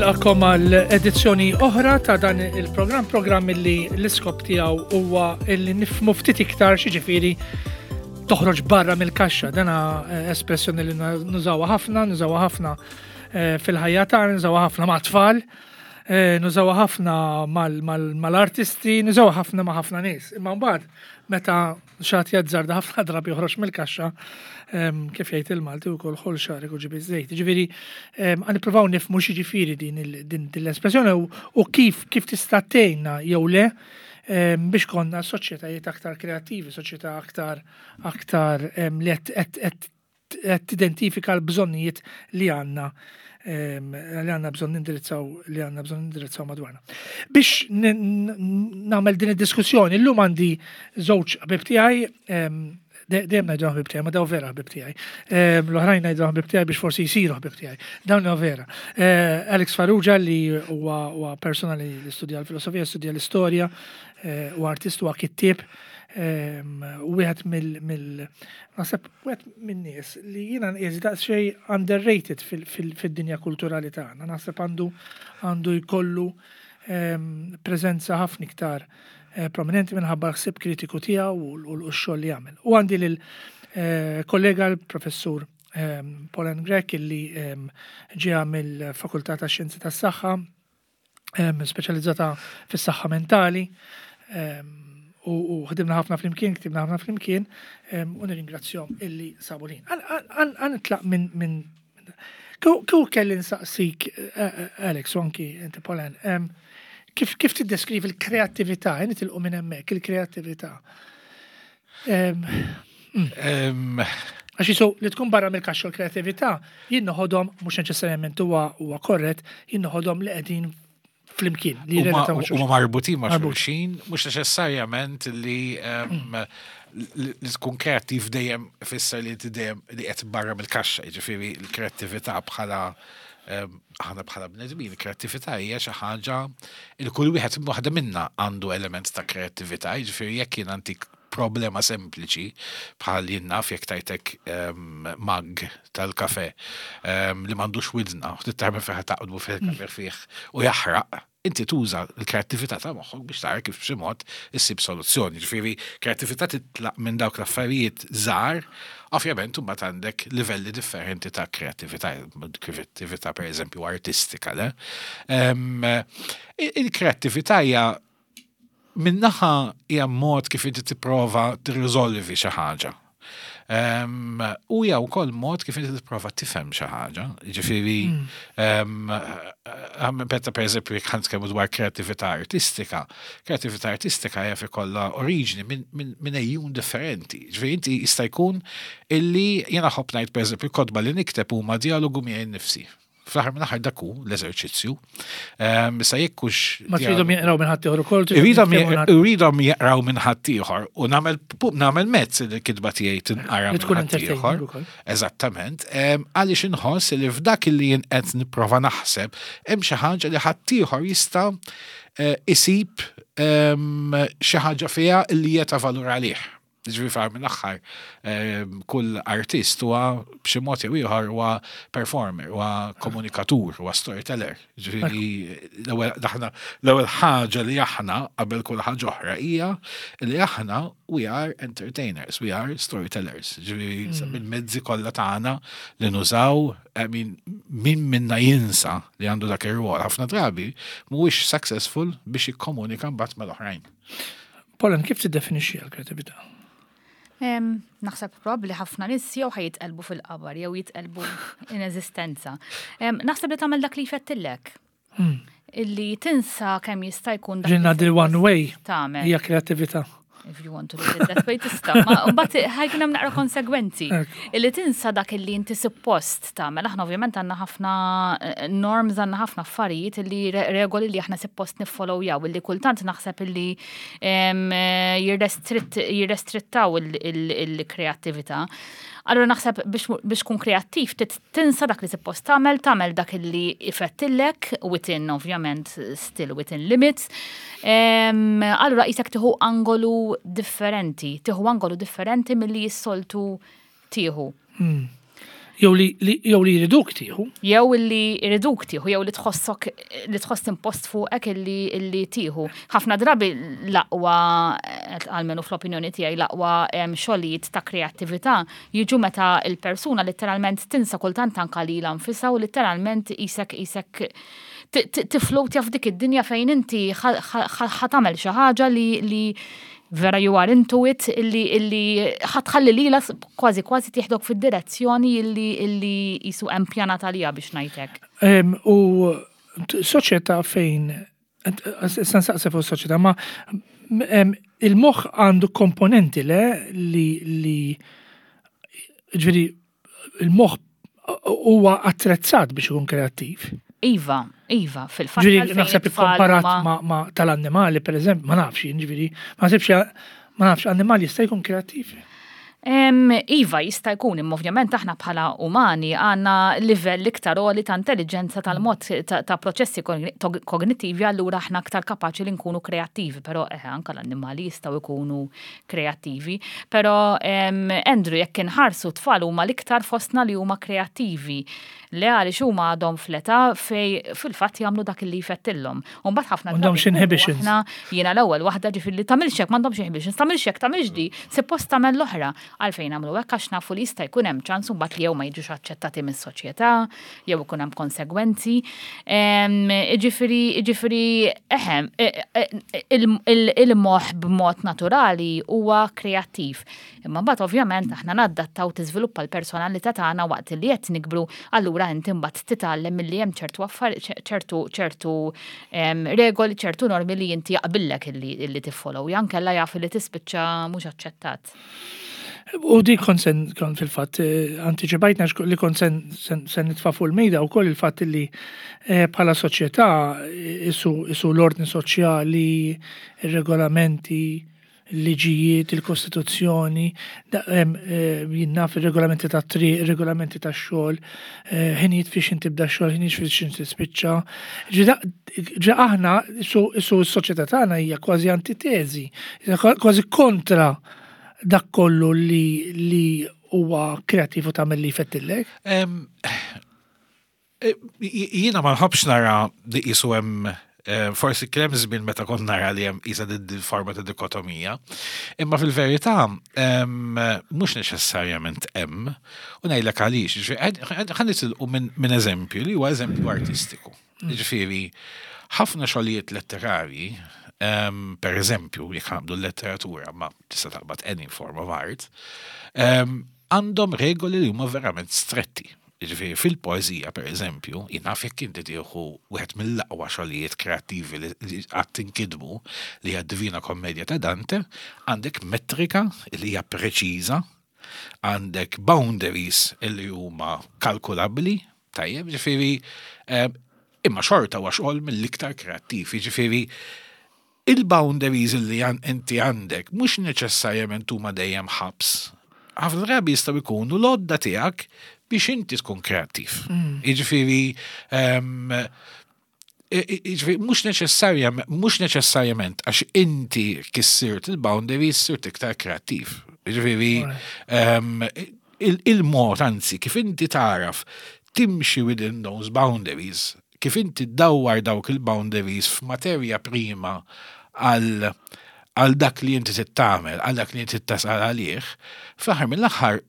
Nilqakom għal edizzjoni oħra ta' dan il-programm, programm li l-iskop tiegħu huwa li nifmu ftit iktar xiġifieri toħroġ barra mill-kaxxa. Dana eh, espressjoni li nużawha ħafna, nużawha ħafna eh, fil-ħajja tagħna, nużawha ħafna ma' tfal, eh, nużawha ħafna mal-artisti, nużawha ħafna ma' ħafna nies. Imma mbagħad meta Xat jazzarda ħafna drabi joħroġ mill-kaxxa, kif jgħid il-Malti wkoll ħol xagħrek u ġib iż-żejt. Ġifieri għan nippruvaw nifhmu x'jiġifieri din l-espressjoni u kif kif tista' tgħinna jew le biex konna soċjetajiet aktar kreattivi, soċjetà aktar aktar li qed qed tidentifika l-bżonnijiet li għandna ehm, li għandna bżonn nindirizzaw li għandna bżonn nindirizzaw madwarna. Biex nagħmel din id-diskussjoni, llum għandi żewġ ħbib tiegħi ehm, dejjem ngħidu ħbib tiegħi, ma daw vera ħbib tiegħi. Ehm, l-oħrajn ngħidu ħbib tiegħi biex forsi jsiru ħbib tiegħi. Dawn huwa vera. Eh, Alex Farrugia li huwa persona li studja l-filosofija, studja l-istorja, eh, u artist huwa kittieb wieħed mill naħseb wieħed min-nies li jiena nqies daqsxejn underrated fid-dinja kulturali tagħna. Naħseb għandu għandu jkollu preżenza ħafna iktar eh, prominenti minħabba l-ħsieb kritiku tiegħu u x-xogħol li jagħmel. U għandi lil eh, kollega l-professur Pauline Grech illi ġeja mill-Fakultà tax-Xjenzi tas-Saħħa speċjalizzata fis-saħħa mentali u ħdimna ħafna flimkien, ktibna ħafna flimkien u nirringrazzjahom illi sabu lin. Għan nitlaq minn Kieku kelli nsaqsik, eh, eh, Alex, u anki inti Polan, kif kif tiddeskrivi l-kreattività, nitilqu minn hemmhekk il-kreattività. Mm. Għax jisu li tkun barra mill-kaxxa l-kreatività, jien noħodhom mhux neċessarjament huwa huwa korrett, jien noħodhom li qegħdin flimkien. Li huma marbutin ma' xulxin, mhux neċessarjament li mm. li tkun kreattiv dejjem fisser li dejjem li qed barra mill-kaxxa, jiġifieri l-kreattività bħala aħna bħala bnedmin, il-kreattività hija xi ħaġa il kull wieħed waħda minna għandu element ta' kreattività, jiġifieri jekk jien għandik problema sempliċi bħal jien naf jekk tajtek ehm, mag tal-kafe ehm, li m'għandux widna, u tittarmi fih taqdbu fih kafe fih u jaħraq, inti tuża l-kreattività ta' moħħok biex tara kif b'xi mod issib soluzzjoni. Ġifieri, kreattività titlaq minn dawk l-affarijiet żgħar, ovvjament imbagħad għandek livelli differenti ta' kreattività, kreattività pereżempju artistika, le? Ehm, il-kreattività hija Min-naħa hija mod kif inti tipprova tirriżolvi xi ħaġa. Ehm, u hija wkoll mod kif inti tipprova tifhem xi ħaġa. Ġifieri, mm. ehm, meta pereżempju jekk ħan dwar kreattività artistika, kreattività artistika jaf ikollha oriġini minn ejjun differenti. Ġifieri inti jista' jkun illi jiena ħobb ngħid pereżempju kotba li nikteb huma dialogu miegħi nnifsi. Fl-aħħar minn aħħar dak hu l-eżerċizzju. Ehm, issa jekk hux. Ma tridhom jeqraw minn ħaddieħor ukoll. Irridhom jeqraw minn ħaddieħor u nagħmel nagħmel mezz li l-kitba tiegħi tinqara minn tkun ħaddieħor. Eżattament. Ehm, għaliex inħoss li f'dak li jien qed nipprova naħseb hemm xi ħaġa li ħaddieħor jista' eh, isib ehm, xi ħaġa fiha li hija ta' valur għalih. Ġifieri fl mill-aħħar ehm, kull artist huwa b'xi mod jew ieħor huwa performer, huwa komunikatur, huwa storyteller. Ġifieri l-ewwel l-ewwel ħaġa li aħna qabel kull ħaġa oħra hija li aħna we are entertainers, we are storytellers. Ġifieri hmm. bil-mezzi kollha tagħna li nużaw, I mean, min minna jinsa li għandu dak ir-rwol ħafna drabi mhuwiex successful biex jikkomunika mbagħad mal-oħrajn. Pollen, kif tiddefinixxi l-kreatività? Naħseb probabbli ħafna nies jew ħajitqelbu fil-qabar jew jitqelbu in eżistenza. Naħseb li tagħmel dak li jfettillek. Hmm. Illi tinsa kemm jista' jkun dak. Ġinna di one way. Tagħmel. Hija kreatività. If you want to look at that way tista'. Ma mbagħad ħajkun hemm naqra konsegwenzi. Illi tinsa dak illi inti suppost tagħmel. Aħna ovvjament għandna ħafna eh, norms, għandna ħafna affarijiet illi regoli li aħna suppost niffollowjaw illi kultant naħseb illi eh, jirrestrittaw il-kreattività. Allura naħseb biex kun kreattiv tinsa dak li suppost tagħmel, tagħmel dak illi ifettillek within ovvjament still within limits. Allura qisek tieħu angolu differenti, tieħu angolu differenti milli jissoltu tieħu. Hmm. Jew li jew li jriduk tieħu. Jew li jriduk tieħu, jew li tħossok li tħoss impost fuqek illi illi tieħu. Ħafna drabi l-aqwa, almenu fl-opinjoni tiegħi, l-aqwa xogħlijiet ta' kreattività jiġu meta l-persuna letteralment tinsa kultant anka lilha nfisha u letteralment qisek qisek tiflowtja f'dik id-dinja fejn inti ħa tagħmel xi ħaġa li li vera you are into it illi illi ħa tħalli lilha kważi kważi tieħdok fid-direzzjoni illi illi qisu hemm pjanat għaliha biex ngħid hekk. U soċjetà fejn issa nsaqsi fuq soċjetà ma il-moħħ għandu komponenti le li li ġifieri il-moħħ huwa attrezzat biex ikun kreattiv. Iva, iva, fil-fatt. Ġifieri naħseb ikkomparat ma' tal-annimali, per eżempju, ma nafx, ġifieri, ma naħsibx ma nafx annimali jista' jkun kreattiv. Iva, jista' jkun, imma ovvjament aħna bħala umani għandna livell iktar għoli ta' intelligenza tal-mod ta' proċessi kognittivi, allura aħna aktar kapaċi li nkunu kreattivi, però eh, anka l-annimali jistgħu jkunu kreattivi. Però Andrew, jekk inħarsu tfal huma l-iktar fostna li huma kreattivi. Le għaliex huma għadhom fl-età fej fil-fatt jagħmlu dak li jfettillhom. U mbagħad ħafna M'għandhomx inhibitions. Aħna jiena l-ewwel waħda ġifieri li tagħmilx hekk m'għandhomx inhibitions, tagħmilx hekk, tagħmilx di, suppost tagħmel l-oħra. Għalfejn nagħmlu hekk għax nafu li jista' jkun hemm ċans mbagħad li jew ma jiġux aċċettati mis-soċjetà, jew ikun hemm konsegwenzi. Ġifieri, ġifieri, eħe, il-moħħ b'mod naturali huwa kreattiv. Imma mbagħad ovvjament aħna nadattaw tiżviluppa l-personalità tagħna waqt li qed nikbru, allura inti mbagħad titgħallem milli hemm ċertu ċertu ċertu regoli, ċertu normi li inti jaqbillek illi tiffollow, jankella jaf li tispiċċa mhux aċċettat. U di kont sen kont fil-fatt eh, antiċipajtna li kont sen, sen, sen nitfa' fuq il-mejda wkoll il-fatt li eh, bħala soċjetà eh, isu, isu l-ordni soċjali, ir-regolamenti, il-liġijiet, il-kostituzzjoni, jien naf ir-regolamenti tat-triq, ir-regolamenti tax-xogħol, ħinijiet fiex inti tibda x-xogħol, ħinijiet fiex inti tispiċċa. Ġi aħna isu s-soċjetà tagħna hija kważi antiteżi, kważi kontra dak kollu li li huwa kreattiv u tagħmel li jfettillek. Eh, jiena ma nħobbx nara li qisu hemm eh, forsi kien hemm żmien meta kont nara li hemm qisha din forma ta' dikotomija, imma fil-verità mhux neċessarjament hemm, u ngħidlek għaliex, ħa nitilqu minn eżempju li huwa eżempju artistiku. Jiġifieri, ħafna xogħlijiet letterarji, per eżempju, jekk ħa naqbdu l-letteratura, ma tista' taqbad any form of art, għandhom regoli li huma verament stretti. Jiġifieri fil-poeżija, per eżempju, jien naf jekk inti tieħu wieħed mill-aqwa xogħlijiet kreattivi li qatt inkitbu, li hija d-Divina Commedia ta' Dante, għandek metrika li hija preċiża, għandek boundaries li huma kalkulabbli, Tajjeb, ġifieri, eh, imma xorta huwa xogħol mill-iktar kreattiv, jiġifieri il-boundaries li inti għandek mhux neċessarjament huma dejjem ħabs. Ħafna drabi jistgħu jkunu l-għodda tiegħek biex inti tkun kreattiv. Jiġifieri, ehm, Jiġifieri mhux neċessarjament mhux neċessarjament għax inti kissirt il-boundaries sirt iktar kreattiv. Jiġifieri ehm, il-mod anzi kif inti taraf timxi within those boundaries, kif inti ddawwar dawk il-boundaries f'materja prima għal għal dak li inti trid tagħmel, għal dak li inti tasal għalih, fl-aħħar mill-aħħar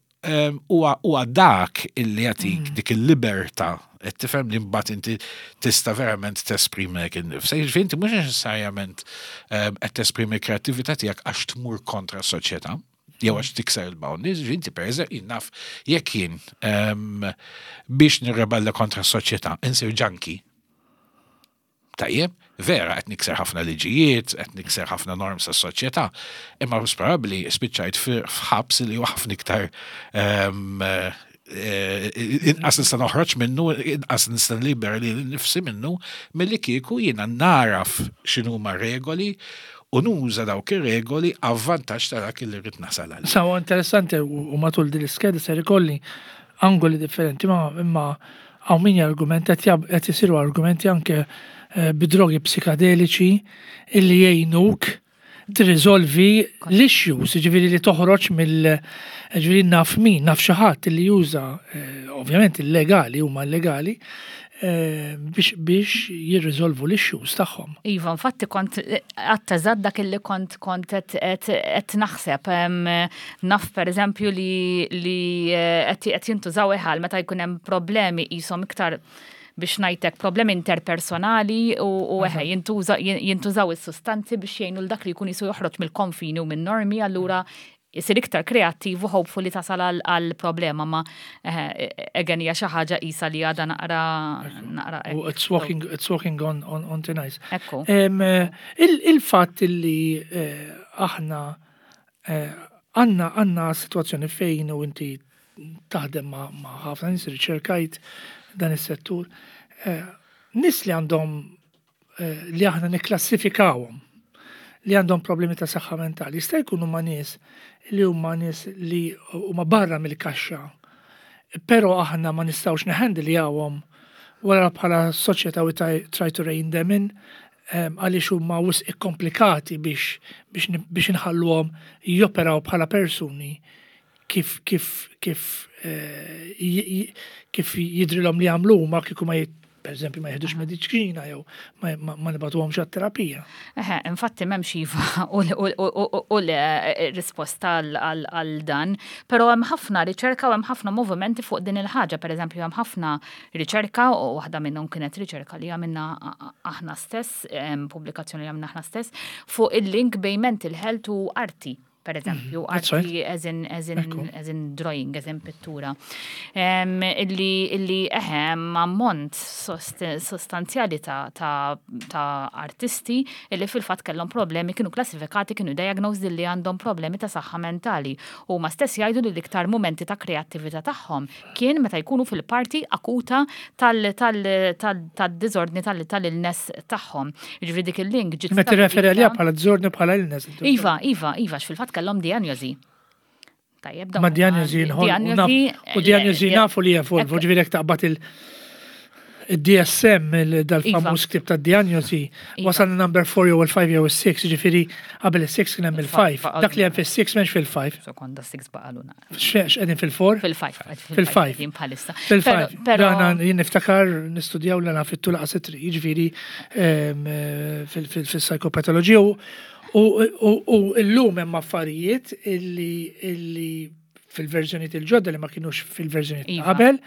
huwa dak illi jagħtik mm. dik il-libertà qed tifhem li mbagħad inti tista' verament tesprimi lek innifsek. Jiġifieri inti mhux neċessarjament qed tesprimi l-kreattività tiegħek għax tmur kontra s-soċjetà jew għax tikser il-boundaries, jiġifieri inti pereżempju jien naf jekk jien biex nirrebella kontra s-soċjetà insir junkie. Tajjeb, vera qed nikser ħafna liġijiet, qed nikser ħafna norms tas-soċjetà, imma probabbli spiċċajt f'ħabs li huwa ħafna iktar ehm, eh, inqas nista' noħroġ minnu, inqas nista' nlibera li nifsi minnu, milli kieku jiena naraf x'inhuma regoli u nuża dawk ir-regoli avvantaġġ ta' dak li rrid nasal għal. Sawa interessanti u matul din l-iskeda ser ikolli angoli differenti ma imma Hawn min jargumenta qed isiru argumenti anke eh, bi drogi psikadeliċi illi jgħinuk tirriżolvi l-issues, ġifieri li toħroġ mill ġifieri naf min, naf xi ħadd li juża eh, ovvjament illegali huma illegali eh, biex biex jirriżolvu l-issues tagħhom. Iva, infatti kont għattazad dak illi kont kont qed naħseb. Naf per eżempju li li eh, qed jintużaw eħal meta jkun hemm problemi qishom iktar biex ngħidlek problemi interpersonali u eħe jintużaw is-sustanzi biex jgħinu l dak li jkun jisu joħroġ mill-konfini u minn-normi allura jisir iktar kreattiv u hopefully tasal għal problema ma again hija xi ħaġa qisha li għadha naqra naqra. It's walking, it's walking on, on, on thin ice. Ekku. Il-fatt li eh, aħna eh, għanna għanna situazzjoni fejn u inti taħdem ma' ħafna nies riċerkajt dan is-settur. Eh, nies li għandhom eh, li aħna nikklassifikawhom li għandhom problemi ta' saħħa mentali, jista' jkunu ma' nies li huma nies li huma barra mill-kaxxa, però aħna ma nistgħux neħendljawhom wara bħala soċjetà we try to rein them in għaliex huma wisq ikkomplikati biex biex biex inħalluhom joperaw bħala persuni kif kif kif eh, kif jidrilhom li jagħmlu huma kieku ma per eżempju ma jieħdux mediċina jew ma nibatuhomx għat-terapija. Eħe, infatti m'hemmx iva u le eh, risposta għal dan, però hemm ħafna riċerka u hemm ħafna movimenti fuq din il-ħaġa, per eżempju hemm ħafna riċerka u waħda minnhom kienet riċerka li għamilna aħna stess, pubblikazzjoni li għamilna aħna stess, fuq il-link bejn mental health u arti per eżempju, mhm. arti as in, as in, as in drawing, as in pittura. Illi, illi eħem ammont sostanzjali ta', ta, ta artisti illi fil-fat kellhom problemi, kienu klassifikati, kienu diagnosed li għandhom problemi ta' saħħa mentali. U ma stess jgħidu li l-iktar momenti ta' kreattività tagħhom kien meta jkunu fil-parti akuta tal-diżordni tal-illness tagħhom. Jiġifieri dik il-link ġiet. Meta tirreferi għaliha bħala diżordni bħala illness. Iva, iva, iva, fil-fatt kellhom diagnosi. Tajjeb, Ma diagnosi nħol. U diagnosi nafu li jevolvu, ġifieri jekk taqbad il- id-DSM, dal-famuż iva. ktib ta' diagnosi, iva. wasal number 4 jew il-5 jew il-6, ġifiri qabel il-6 kien hemm il-5. Dak li hemm fil-6 m'hemmx fil-5. Sekonda 6 baqalu naqra. X'qegħdin fil-4? Fil-5. Fil-5. Jien bħalissa. Fil-5. Però jien niftakar nistudjaw l fit-tul qas jiġifieri ehm, fil-psikopatoloġija u llum hemm affarijiet illi fil-verżjonijiet il-ġodda li ma kienux fil-verżjonijiet ta' iva. qabel.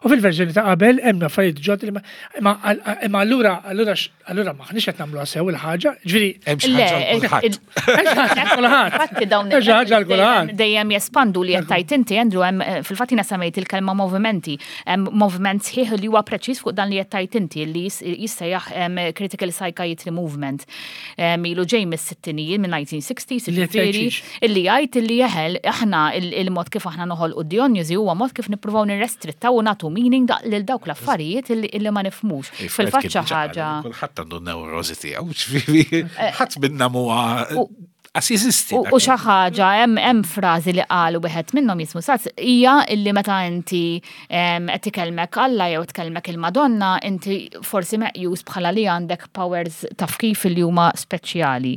U fil-verżjoni ta' qabel hemm affarijiet ġodda li ma imma allura allura allura maħniex qed nagħmluha sew il-ħaġa, ġifieri hemm xi ħaġa kulħadd. Kulħadd. Fatti dawn ħaġa kulħadd. Dejjem jespandu li qed tgħid inti Andrew hemm eh, fil-fatt jiena semmejt il-kelma movimenti, hemm moviment sħiħ li huwa preċiż fuq dan li qed tgħid inti li jissejjaħ critical psychiatry movement. Ilu ġej mis-sittinijiet minn 1960s, ġifieri Illi jgħid illi jeħel aħna il-mod kif aħna noħolqu d-dijonjosi huwa mod kif nippruvaw nirrestrittaw u nagħtu meaning lil dawk l-affarijiet illi ma nifhmux. Fil-fatt xi ħaġa. Kulħadd għandu n-newrożi tiegħu, ġifieri eh, ħadd minna mhuwa Għas jeżisti. U xi ħaġa hemm frażi li qal wieħed minnhom jismu Saz hija illi meta inti qed ikellmek Alla jew tkellmek il-Madonna inti forsi meqjus bħala li għandek powers taf kif li huma speċjali.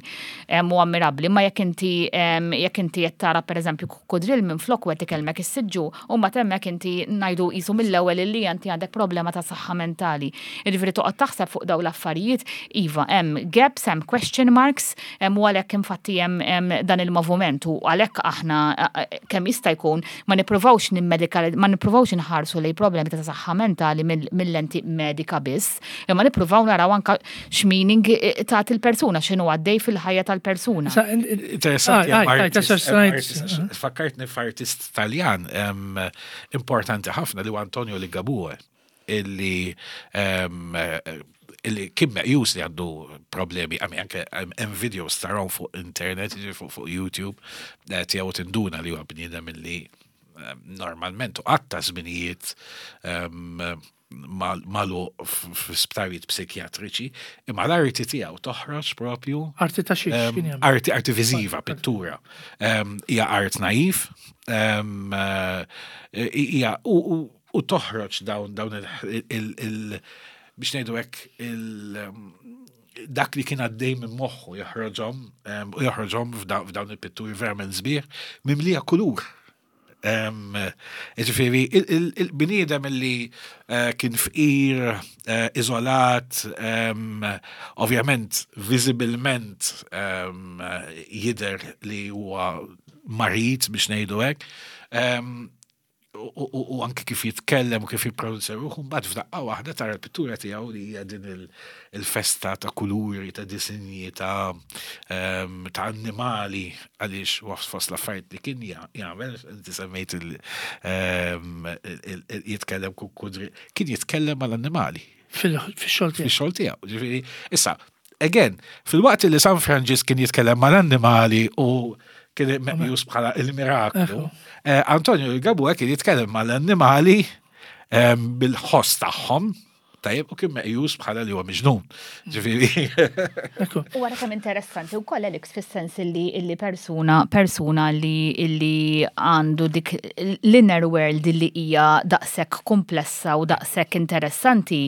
U ammirabbli, imma jekk inti jekk inti qed tara pereżempju kukkudrill minflok u qed ikellmek is-siġġu, u mbagħad hemmhekk inti ngħidu qisu mill-ewwel illi inti għandek problema ta' saħħa mentali. Jiġifieri toqgħod taħseb fuq dawn l-affarijiet, iva hemm gaps, hemm question marks, u għalhekk infatti hemm dan il-movument u għalhekk aħna kemm jista' jkun ma nippruvawx nimmedikal ma nippruvawx inħarsu lejn problemi ta' saħħa mentali mill-lenti medika biss, imma nippruvaw naraw anka x'meaning eh, tagħti l-persuna, x'inhu għaddej fil-ħajja tal-persuna. Interessanti, fakkartni f'artist Taljan importanti ħafna li Antonio Ligabue illi illi kien meqjus li għandu problemi, għami anke hemm videos taraw fuq internet, fuq YouTube, eh, tiegħu tinduna li huwa bniedem illi normalment u qatta żminijiet magħluq f'sptarijiet psikjatriċi, imma l-arti tiegħu toħroġ propju. Arti ta' xiex kien hemm? Arti, arti viżiva, pittura. Hija art naif, eh, hija u toħroġ dawn dawn il biex ngħidu hekk il dak li kien għaddej minn moħħu joħroġhom u joħroġhom f'dawn il-pitturi verament sbieħ mimlija kulur. Ġifieri, il-bniedem li eh, kien fqir, eh, iżolat, ovvjament viżibilment jidher li huwa marid biex ngħidu hekk, u anke kif jitkellem u kif jippronunzja ruħu, mbagħad f'daqqa waħda tara l-pittura tiegħu li hija din il-festa ta' kuluri, ta' disinji, ta' ta' annimali għaliex fost l-affarijiet li kien jagħmel, inti semmejt jitkellem kukudri, kien jitkellem mal-annimali. Fil-xogħol tiegħu. Fil-xogħol tiegħu. Ġifieri, issa, again, fil-waqt li San Franġisk kien jitkellem mal-annimali u kien meqjus bħala il-miraklu, eh, Antonio Ligabue kien jitkellem mal-annimali eh, bil-ħoss tagħhom, tajjeb u kien meqjus bħala li huwa miġnun. Ġifieri. U wara kemm interessanti wkoll Alex fis-sens li illi persuna persuna li illi għandu dik l-inner world li hija daqshekk komplessa u daqshekk interessanti.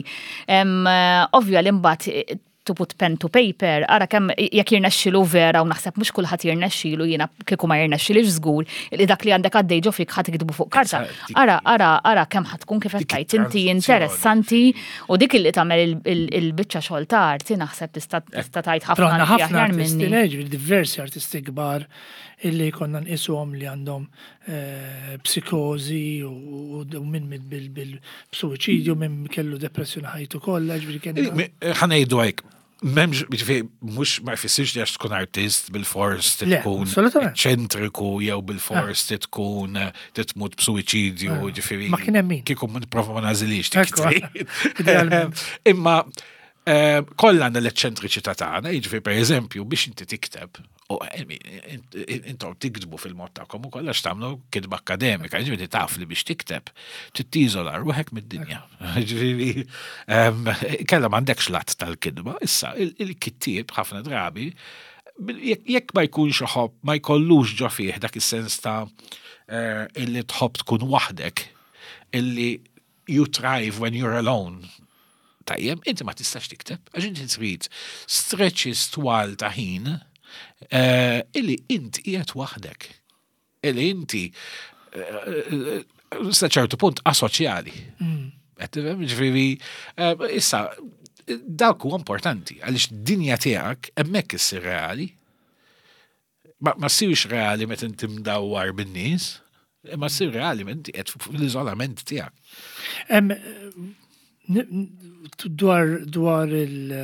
Ovvja li mbagħad to put pen to paper, ara kemm jekk jirnexxilu vera u naħseb mhux kulħadd jirnexxilu jiena kieku ma jirnexxilix żgur li dak li għandek għaddej ġo fik ħadd iktbu fuq karta. Ara, ara, ara kemm ħadd tkun kif qed tgħid inti interessanti u dik li tagħmel il-biċċa xogħol ta' arti naħseb tista' tista' tgħid ħafna ħafna artisti, diversi artisti kbar illi konna nqisuhom li għandhom eh, psikozi u minn minn bil-suwiċidju, minn kellu depressjoni ħajtu kollha, ġifieri kien. Eh, ħa ngħidu hekk, m'hemmx ġifieri mhux ma jfissirx li għax tkun artist bil-fors tkun ċentriku jew bil-fors ah. tkun eh, titmut b'suwiċidju, ah. ġifieri. Ma kien hemm min. Kieku ma nipprova ma nażilix. Imma kollha għandna l-eċċentriċità tagħna, jiġifieri pereżempju biex inti tikteb U intom tiktbu fil-mod tagħkom ukoll għax tagħmlu kitba akademika, ġifieri taf li biex tikteb tittiżola ruħek mid-dinja. Ġifieri kellha m'għandekx lat tal-kitba, issa il-kittieb ħafna drabi jekk ma jkunx iħobb, ma jkollux ġo fih dak is-sens ta' eh, illi tħobb tkun waħdek, illi you thrive when you're alone. Tajjeb, inti ma tistax tikteb, għax inti trid stretches twal ta' ħin eh, illi int qiegħed waħdek. Illi inti eh, sa ċertu punt asoċjali. Mm. Ġifieri, eh, issa, dak huwa importanti, għaliex dinja tiegħek hemmhekk issir reali. Ma, ma ssirx reali meta inti mdawwar bin-nies, imma ssir reali meta inti qed fl-iżolament tiegħek. Dwar dwar il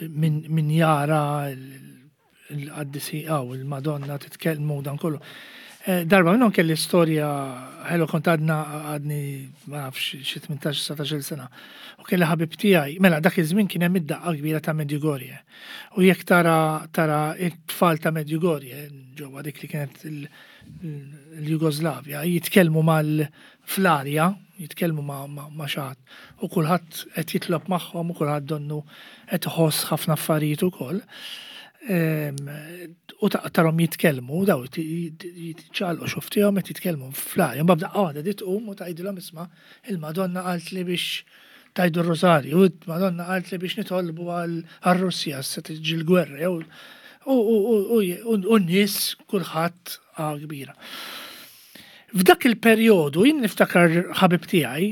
min, min jara il-qaddisi għaw il-Madonna titkellmu dan kollu. Eh, darba minnhom kelli storja ħelu kont għadna għadni ma nafx xi 18-19 sena. U kelli ħabib tiegħi, mela dak iż-żmien kien hemm id-daqqa kbira ta' Medjugorje. U jekk tara tara it-tfal ta' Medjugorje ġewwa dik li kienet l-Jugoslavja jitkellmu mal fl-arja, jitkellmu ma' xi ħadd u kulħadd qed jitlob magħhom u kulħadd donnu qed iħoss ħafna affarijiet ukoll. Ehm, u tarhom jitkellmu, daw jitċaqalqu xuftihom qed jitkellmu fl-arja. Mbagħad daqqa waħda di tqum u tgħidilhom isma' il-Madonna qalt li biex tajdu r-Rosarju, il-Madonna qalt li biex nitolbu għal-Russja se tiġi l-gwerra jew u n-nies kulħadd kbira. F'dak il-perjodu jien niftakar ħabib tiegħi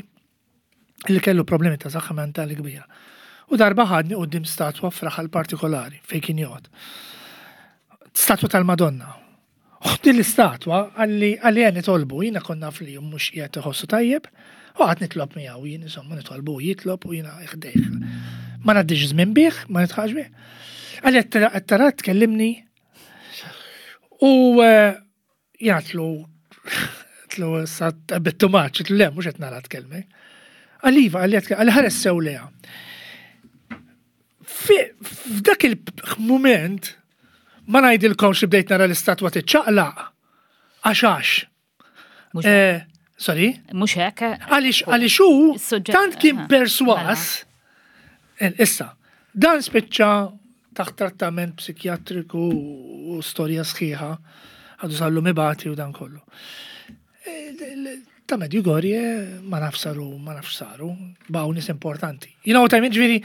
li kellu problemi ta' saħħa mentali kbira. U darba ħadni quddiem statwa f'raħal partikolari fejn kien joqgħod. Statwa tal-Madonna. U din l-istatwa għalli għalli għen nitolbu, jiena konna naf li mhux qiegħed iħossu tajjeb, u għad nitlob miegħu jien insomma nitolbu jitlob u jiena ħdejh. Ma ngħaddix żmien bih, ma nitħax bih. Għalli qed tara tkellimni u eh, Jgħatlu, tlu sa bit too much, tlu le, mux qed nara tkellmi. Għaliva, għalli għalli ħares sew leha. F'dak il-moment, ma ngħidilkomx li bdejt nara l-istatwa tiċċaqlaq, għax għax. Eh, sorry? Mux hekk. Għaliex għaliex hu tant kien perswas. Eh, issa, dan spiċċa taħt trattament psikjatriku u storja sħiħa, għadu sallu mibati u dan kollu. Eh, ta' Medjugorje ma naf saru, ma naf saru, baw nis importanti. You know what I mean, ġviri,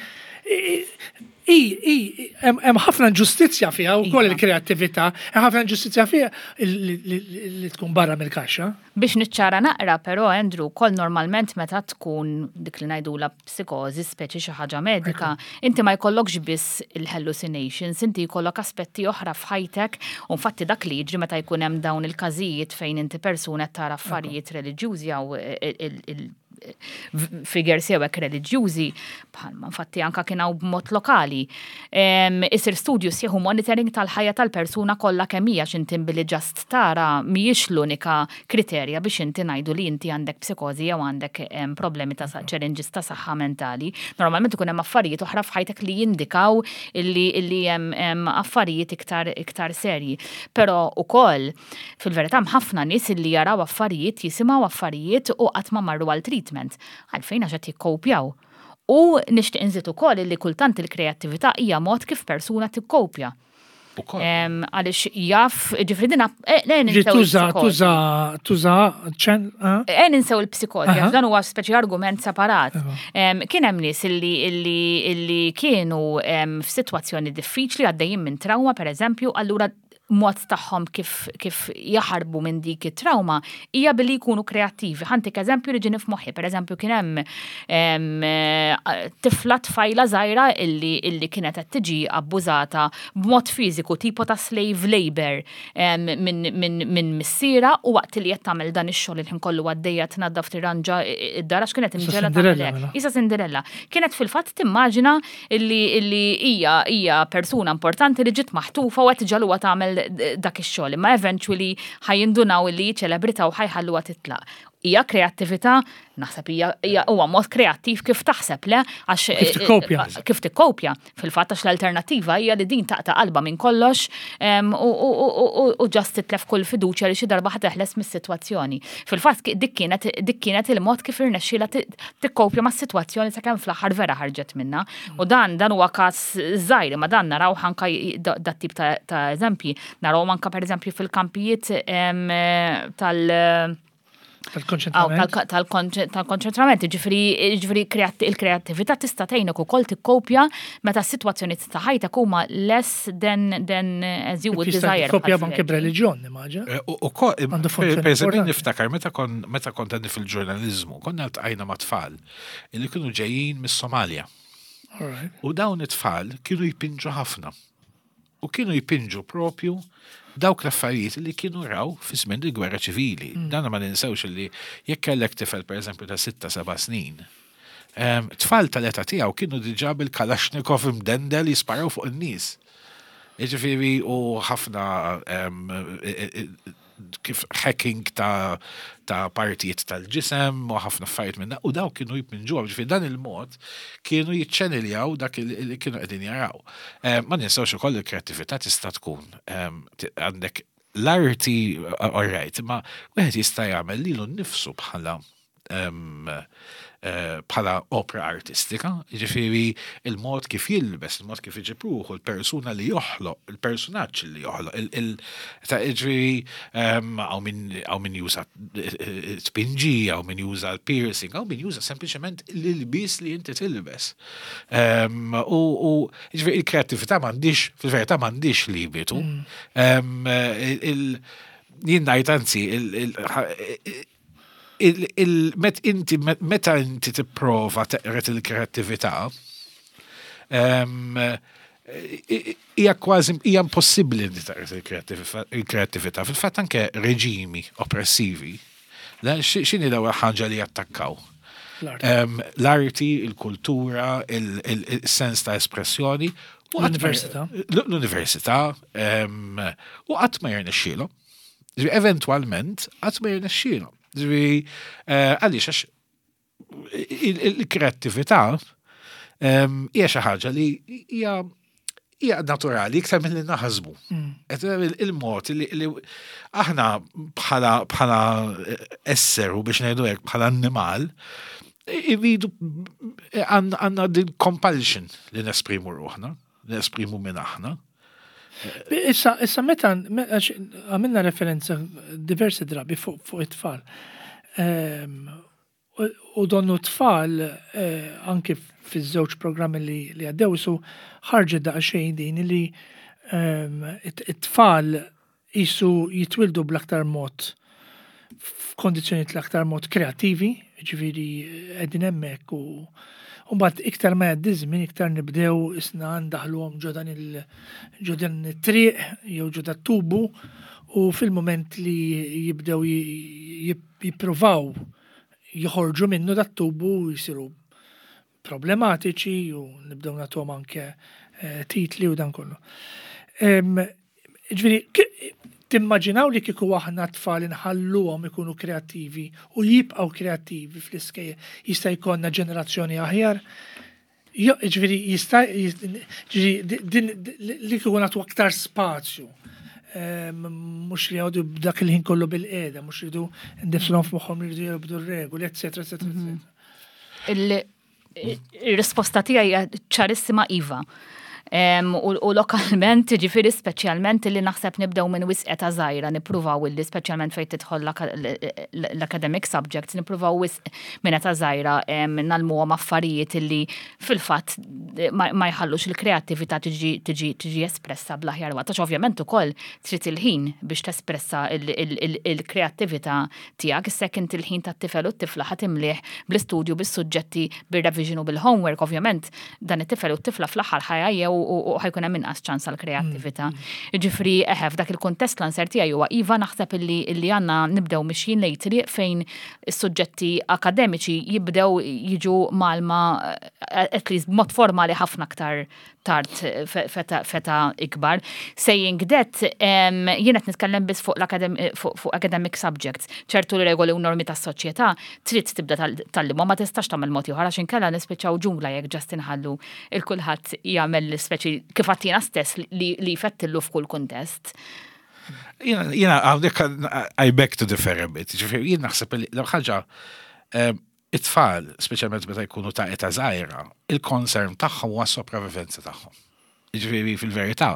Hemm ħafna inġustizzja fiha wkoll iva. il-kreattività, hemm ħafna inġustizzja fiha li tkun barra mill-kaxxa. Biex niċċara naqra però Andrew, ukoll normalment meta tkun dik li ngħidulha psikożi, speċi xi ħaġa medika, inti ma jkollokx biss il-hallucinations, inti jkollok aspetti oħra f'ħajtek u infatti dak li jiġri meta jkun hemm dawn il-każijiet fejn inti persuna qed tara affarijiet reliġjużi jew figures jew hekk reliġjużi, bħalma infatti anka kien hawn b'mod lokali. Isir studju sieħu monitoring tal-ħajja tal-persuna kollha kemm hija x'inti billi ġast tara mhijiex l-unika kriterja biex inti ngħidu li inti għandek psikożi jew għandek problemi ta' challenges ta' saħħa mentali. Normalment ikun hemm affarijiet oħra f'ħajtek li jindikaw illi hemm affarijiet iktar iktar serji. Però ukoll Fil-verità hemm ħafna nies illi jaraw affarijiet, jisimgħu affarijiet u qatt ma marru għal treatment. Għalfejn għax qed jikkowpjaw. U nixtieq inżid ukoll illi kultant il-kreattività hija mod kif persuna tikkowpja. Għaliex jaf, ġifri dina, eh, eh, ninsew. Tuża, tuża, tuża, ċen. Eh, ninsew il-psikologi, dan huwa speċi argument separat. Kien hemm nies illi kienu f'sitwazzjoni diffiċli għaddejjin minn trauma, per eżempju, allura mod tagħhom kif, kif jaħarbu minn dik it-trauma hija billi jkunu kreattivi. Ħantik eżempju li ġini f'moħħi, per eżempju kien hemm tifla tfajla żgħira illi, illi kienet qed tiġi abbużata b'mod fiżiku tipo ta' slave labor minn min, min missiera u waqt li qed tagħmel dan ix-xogħol il-ħin kollu għaddejja tnaddaf tirranġa id-dar għax kienet imġela tagħmel hekk. Isa Cinderella. Kienet fil-fatt timmaġina illi illi hija hija persuna importanti li ġiet maħtufa u qed iġagħluha tagħmel dak ix-xogħol, imma eventually ħa jindunaw illi hi ċelebrità u ħa jħalluha titlaq. Hija kreattività? Naħseb hija hija huwa mod kreattiv kif taħseb, le? Għax Kif tikkopja. Kif tikkopja. Fil-fatt għax l-alternattiva hija li din taqta' qalbha minn kollox u ġast titlef kull fiduċja li xi darba ħa teħles mis-sitwazzjoni. Fil-fatt dik kienet dik kienet il-mod kif irnexxielha tikkopja mas-sitwazzjoni sakemm fl-aħħar vera ħarġet minnha. U dan dan huwa każ żgħir, imma dan naraw anka dat tip ta' eżempji. Narawhom anka pereżempju fil-kampijiet tal- Tal-konċentrament. Tal-konċentrament, ġifri, ġifri il-kreattività tista' tgħinek ukoll tikkopja meta s-sitwazzjoni ta' ħajtek huma less than than as you would desire. Tikkopja anke b'reliġjon, nimmaġina. Eh, u per eżempju niftakar meta kon meta kont għandi fil-ġurnaliżmu, konna ltqajna ma' tfal li kienu ġejjin mis-Somalja. U dawn it-tfal kienu jpinġu ħafna. U kienu jpinġu propju dawk l-affarijiet li kienu raw fi żmien il-gwerra ċivili. Mm. Dan ma ninsewx li jekk kellek tifel pereżempju ta' 6-7 snin, tfal tal-età tiegħu kienu diġà bil-Kalashnikov imdendel jisparaw fuq in-nies. Jiġifieri u ħafna kif hacking ta', ta partijiet tal-ġisem u ħafna affarijiet minna u daw kienu jpinġuha ġifieri dan il-mod kienu jiċċeniljaw dak li kienu qegħdin jaraw. Eh, ma ninsewx ukoll il-kreattività tista' tkun ehm, għandek l-arti, all right, ma wieħed jista' jagħmel lilu nnifsu bħala Eh, bħala opra artistika, ġifiri il-mod kif jilbes, il-mod kif iġib ruħu, il-persuna li joħloq, il-personaġġ li joħloq, ġifiri għaw min juża eh, eh, spinġi, għaw min juża l-piercing, għaw min juża sempliciment l-ilbis li inti tilbes. U ġifiri il-kreativita m'għandix, fil-verità m'għandix limitu. Mm. Jien ngħid anzi, il-met inti meta inti tipprova teqret il-kreattività, hija kważi hija impossibbli li teqret il-kreattività. Fil-fatt anke reġimi oppressivi, x'inhi l-ewwel ħaġa li jattakkaw? L-arti, il-kultura, il-sens ta' espressjoni. L-università. L-università. U qatt ma jirnexxielhom. Ġifieri eventwalment qatt ma jirnexxielhom. Ġifieri eh, għaliex għax il-kreattività ehm, hija xi ħaġa li hija hija naturali iktar milli naħsbu. Mm. Il-mod li aħna bħala bħala eh, esseru biex ngħidu hekk bħala annimal irridu eh, għandna din compulsion li nesprimu ruħna. Nesprimu minn aħna. Issa, issa meta għamilna referenza diversi drabi fuq it-tfal. Ehm, U donnu tfal anki fiż-żewġ programmi li għaddew su ħarġet daqsxejn din li it-tfal qisu jitwildu bl-aktar mod f'kondizzjonijiet l-aktar mod kreattivi, ġifieri qegħdin hemmhekk u mbagħad iktar ma jgħaddi żmien iktar nibdew isna ndaħluhom ġo dan il ġo dan it-triq jew ġo dat-tubu u fil-mument li jibdew jippruvaw joħorġu minnu dat-tubu jsiru problematiċi u nibdew nagħtuhom anke eh, titli u dan kollu. Ġifieri, timmaġinaw li kieku aħna tfal inħalluhom ikunu kreattivi u jibqgħu kreattivi fl-iskejjel jista' jkollna ġenerazzjoni aħjar? Ġifieri jista' ġifieri din li kieku nagħtu aktar spazju. Mhux li jgħodu b'dak il-ħin kollu bil-qiegħda, mhux jridu ndiflhom f'moħħhom li jridu jobdu r-regoli, eccetera, eccetera, eccetera. Il-risposta tiegħi hija ċarissima iva. U lokalment, ġifiri speċjalment li naħseb nibdew minn wisq età żgħira nippruvaw illi speċjalment fejn tidħol l-academic subjects, nippruvaw wisq minn età żgħira nagħlmuhom affarijiet illi fil-fatt ma jħallux il-kreattività tiġi espressa bl-aħjar waqt. Għax ovvjament ukoll trid il-ħin biex tespressa il-kreattività tiegħek. Issa jekk inti l-ħin tat-tifel u t-tifla ħa timlieh bl-istudju, bis-suġġetti, bir-revision u bil-homework, ovvjament dan it-tifel u t-tifla fl-aħħar ħa jgħajjew u ħa jkun hemm inqas ċans għall-kreattività. Jiġifieri eħe f'dak il-kuntest l-answer tiegħi huwa iva naħseb illi illi għandna nibdew mixjin lejn triq fejn is-suġġetti akademiċi jibdew jiġu mgħallma at least b'mod formali ħafna aktar tard f'età ikbar. Saying that, jien qed nitkellem biss fuq fuq academic subjects. Ċertu regoli u normi tas-soċjetà trid tibda tgħallimhom, ma tistax tagħmel mod ieħor għax inkella nispiċċaw ġungla jekk just inħallu il kulħadd jagħmel speċi kif għattina stess li jfettillu f'kull kuntest. Jiena hawnhekk I beg to differ a bit. Ġifieri jien naħseb li l-ħaġa it-tfal, speċjalment meta jkunu ta' età żgħira, il-concern tagħhom huwa s-sopravivenza tagħhom. Jiġifieri fil-verità,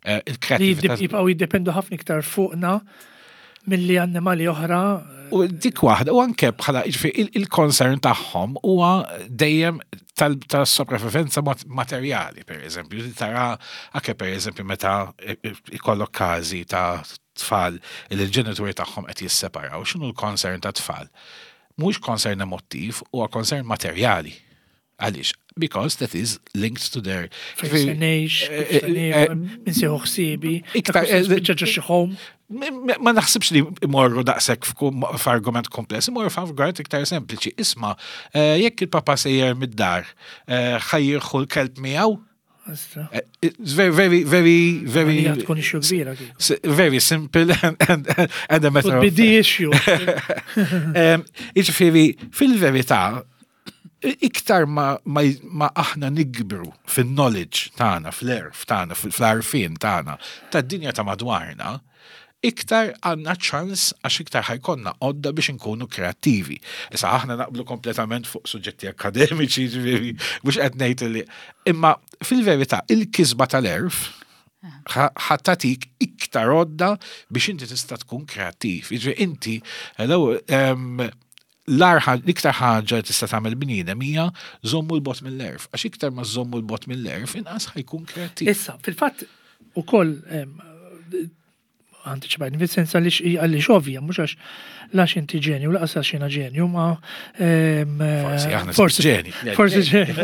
eh, il-kreatività. Jibqgħu jiddependu ħafna iktar fuqna milli annimali oħra. U dik waħda, u anke bħala jiġifieri il-concern tagħhom huwa dejjem tal-sopravivenza materjali, per eżempju, tara anke per eżempju meta ikollok każi ta' tfal li l-ġenituri tagħhom qed jisseparaw, x'inhu l-concern ta' tfal? Mhuwiex concern emottiv, huwa concern materjali. Għaliex? Because that is linked to their. Fejn se ngħix, kif se niekol, min se jieħu ħsiebi, spiċċa ġo xi home. Ma naħsibx li imorru daqshekk f'argument kompless, imorru f'argument iktar sempliċi. Isma', jekk il-papa sejjer mid-dar, ħa jieħu l-kelb miegħu? Eh, it's very, very, very, very. Tkun issue kbira. Very simple and, and, and a matter of. Be the issue. Iġifieri, fil-verità, iktar ma, ma, ma aħna nikbru fil-knowledge tagħna, fl-erf tagħna, fl-arfin tagħna, tad-dinja ta' madwarna, iktar għandna ċans għax iktar ħa jkollna għodda biex inkunu kreattivi. Issa aħna naqblu kompletament fuq suġġetti akademiċi, ġifieri, mhux qed ngħid li. Imma fil-verità il-kisba tal-erf ħa tagħtik iktar għodda biex inti tista' tkun kreattiv. Jiġifieri inti, hello, l-iktar ħaġa li tista' tagħmel bniedem hija żommu l-bot mill-erf. Għax iktar ma żommu l-bot mill-erf, inqas ħajkun kreattiv. Issa, fil-fatt ukoll antiċipajt, fil-sens għaliex ovvja, mhux għax lax inti ġenju, laqas għax jiena ġenju, ma forsi aħna forsi ġeni. Forsi ġeni,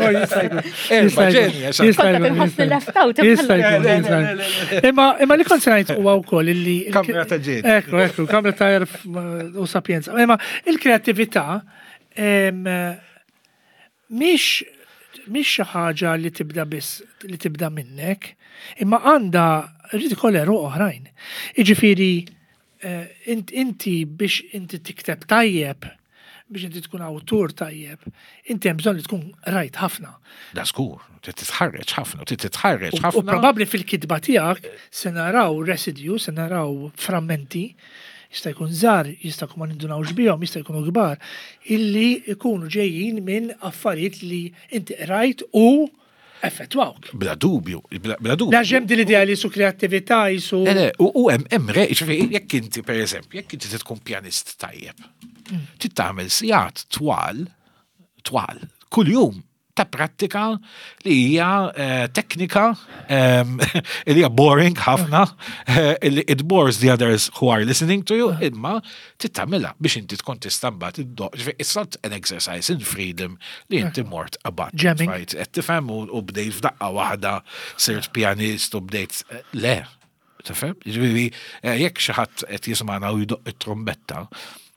Imma imma li kont ngħid huwa wkoll illi Kamra ta' ġeni. Ekku, ekku, kamra ta' erf u sapjenza. Imma il-kreattività mhix mhix xi ħaġa li tibda biss li tibda minnek, imma għandha rrid ikollha għeruq oħrajn. Jiġifieri eh, inti biex inti tikteb tajjeb, biex inti tkun awtur tajjeb, inti hemm bżonn li tkun rajt ħafna. Da żgur, trid titħarreġ ħafna, trid titħarreġ ħafna. U probabbli fil-kitba tiegħek se naraw residue, se naraw frammenti jista' jkun żgħar, jista' jkun ma nindunawx bihom, jista' jkunu kbar, illi jkunu ġejjin minn affarijiet li inti qrajt u. Effettwawk. Bla dubju, bla dubju. La ġem din l-idea li su kreattività jisu. Le, le, u hemm hemm re, ġifieri jekk inti pereżempju, jekk inti tkun pjanist tajjeb, trid tagħmel sigħat twal, twal, kuljum ta' prattika li hija eh, teknika ehm, li hija boring ħafna, eh, li it bores the others who are listening to you, imma trid tagħmilha biex inti tkun tista' mbagħad iddoqq. Ġifieri, It's not an exercise in freedom li inti mort about. Jamming. Right, qed tifhem u bdejt f'daqqa waħda sirt pjanist u bdejt eh, le. Tifhem? Ġifieri eh, jekk xi ħadd qed jismagħna u jdoqq it-trumbetta,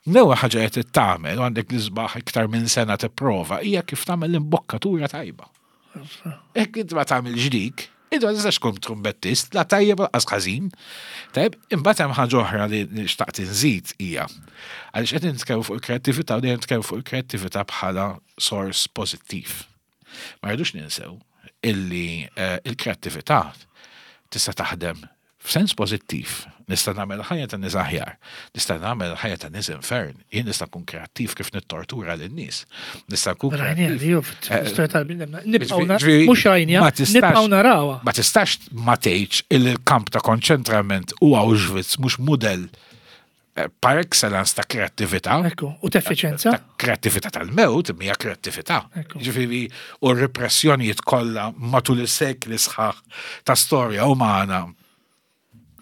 l-ewwel ħaġa qed tagħmel u għandek l-isbaħ iktar minn sena tipprova hija kif tagħmel l-imbokkatura tajba. Jekk inti ma tagħmilx dik, inti ma tistax tkun trumbettist, la tajjeb lanqas ħażin. Tajjeb, imbagħad hemm ħaġa oħra li xtaqt inżid hija. Għaliex qed nitkellmu fuq il-kreattività u dejjem nitkellmu fuq il-kreattività bħala sors pożittiv. Ma rridux ninsew illi eh, il-kreattività tista' taħdem f'sens pożittiv. Nista' nagħmel ħajja ta' nies aħjar. Nista' nagħmel ħajja ta' nies infern. Jien nista' nkun kreattiv kif nittortura lin-nies. Nista' nkun kreattiv. Eh, tal-bniedem. Nibqgħu mhux rajnija, nibqgħu narawha. Ma tistax ma tgħidx il-kamp ta' konċentrament u Auschwitz mhux mudell par excellence ta' kreattività. Ekku, u ta' effiċenza. Ta' kreattività tal-mewt, hija kreattività. Ġifieri, u r-repressjonijiet kollha matul is-sekli sħaħ ta' storja umana.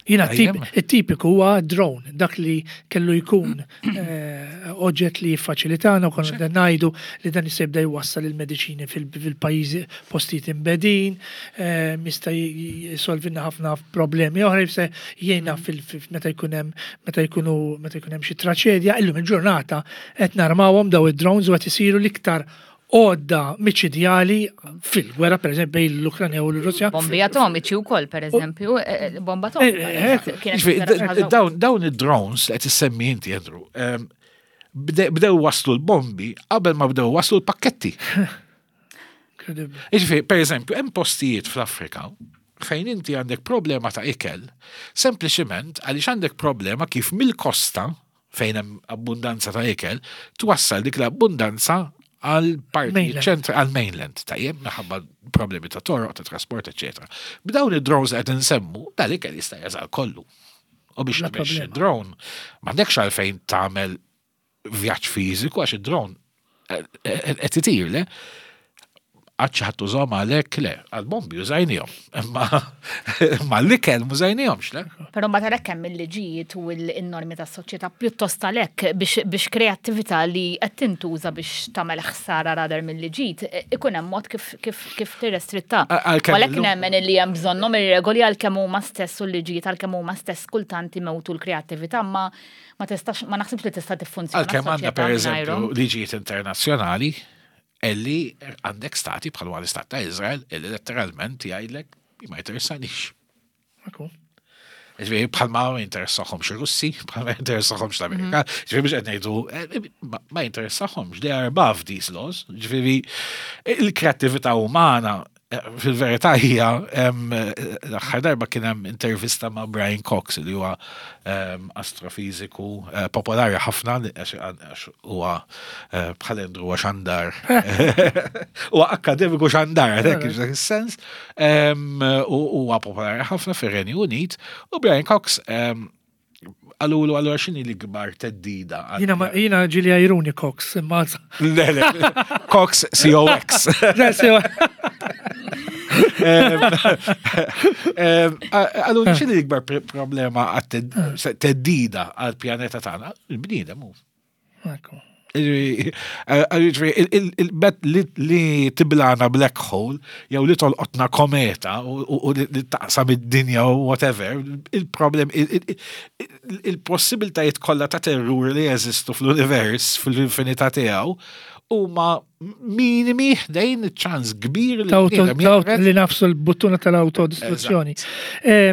Jina it-tipiku huwa drone, dak li kellu jkun eh, oġġett li jiffaċilitana u konna dan ngħidu li dan jista' jibda jwassal il-mediċini fil-pajjiżi postijiet imbedin, eh, jista' jisolvilna ħafna problemi oħra, jista' jgħinna meta jkun hemm meta jkunu meta jkun hemm xi traċedja, illum il-ġurnata qed narmawhom daw id-drones u qed isiru l-iktar għodda miċidjali fil-gwerra, per eżempju, bejn l-Ukranja u l-Russja. Bombi atomiċi wkoll, per eżempju, eh, eh, bomba atomiċi. Eh, dawn id-drones li qed issemmi inti, Andrew, ehm, bdew waslu l-bombi qabel ma bdew waslu l-pakketti. Jiġifieri, per eżempju, hemm postijiet fl-Afrika fejn inti għandek problema ta' ikel, sempliċement għaliex għandek problema kif mill-kosta fejn hemm abbundanza ta' ikel, twassal dik l-abbundanza għal parti ċentri għal mainland, tajjeb, minħabba problemi ta' toroq, ta' trasport, eċetera. B'dawn id-drones qed insemmu, dal-ikel jista' jasal kollu. U biex tmexxi drone, m'għandekx għalfejn tagħmel vjaġġ fiżiku għax id-drone qed itir, le? Għad xi ħadd użahom għalhekk le, għall-bombi użajnihom. Imma l-ikel mużajnihomx, le? Però mbagħad għalhekk hemm il-liġijiet u n-normi tas-soċjetà pjuttost għalhekk biex kreattività li qed tintuża biex tagħmel ħsara rather milli ġid, ikun hemm mod kif kif tirrestritta. Għalhekk nemmen li hemm bżonnhom ir-regoli għalkemm huma stess u l-liġijiet għalkemm huma stess kultant imewtu l-kreattività ma Ma tistax, ma naħsibx li tista' tiffunzjona. Għalkemm għandna pereżempju liġijiet internazzjonali illi għandek stati bħal l-istat ta' Izrael illi letteralment jgħidlek ma jinteressanix. Ġifieri bħal ma jinteressahomx ir-Russi, bħal ma jinteressahomx l-Amerika, mhm. ġifieri biex qed ngħidu eh, ma jinteressahomx, they are above these laws. Ġifieri il-kreattività umana Fil-verità hija l-aħħar darba kien hemm intervista ma' Brian Cox li huwa astrofiżiku eh, popolari ħafna għax huwa eh, bħal Andrew huwa xandar. Huwa akademiku xandar, għalhekk dak is-sens. U huwa popolari ħafna fir-Renju Unit u Brian Cox Għalulu, għallu xini l-ikbar teddida? Jina, jina ġili għajruni Cox, imma. Le, le, Cox, C-O-X. Għallu, xini l-ikbar problema teddida għal-pjaneta tagħna? Il-bniedem hu. Li tiblana black hole, jew li tolqotna kometa u li taqsam id-dinja u whatever, il-problem, il-possibiltajiet kollha ta' terrur li jeżistu fl-univers, fl-infinità tiegħu, huma minimi ħdejn ċans kbir li li nafsu l-buttuna tal-autodistruzzjoni. Eh,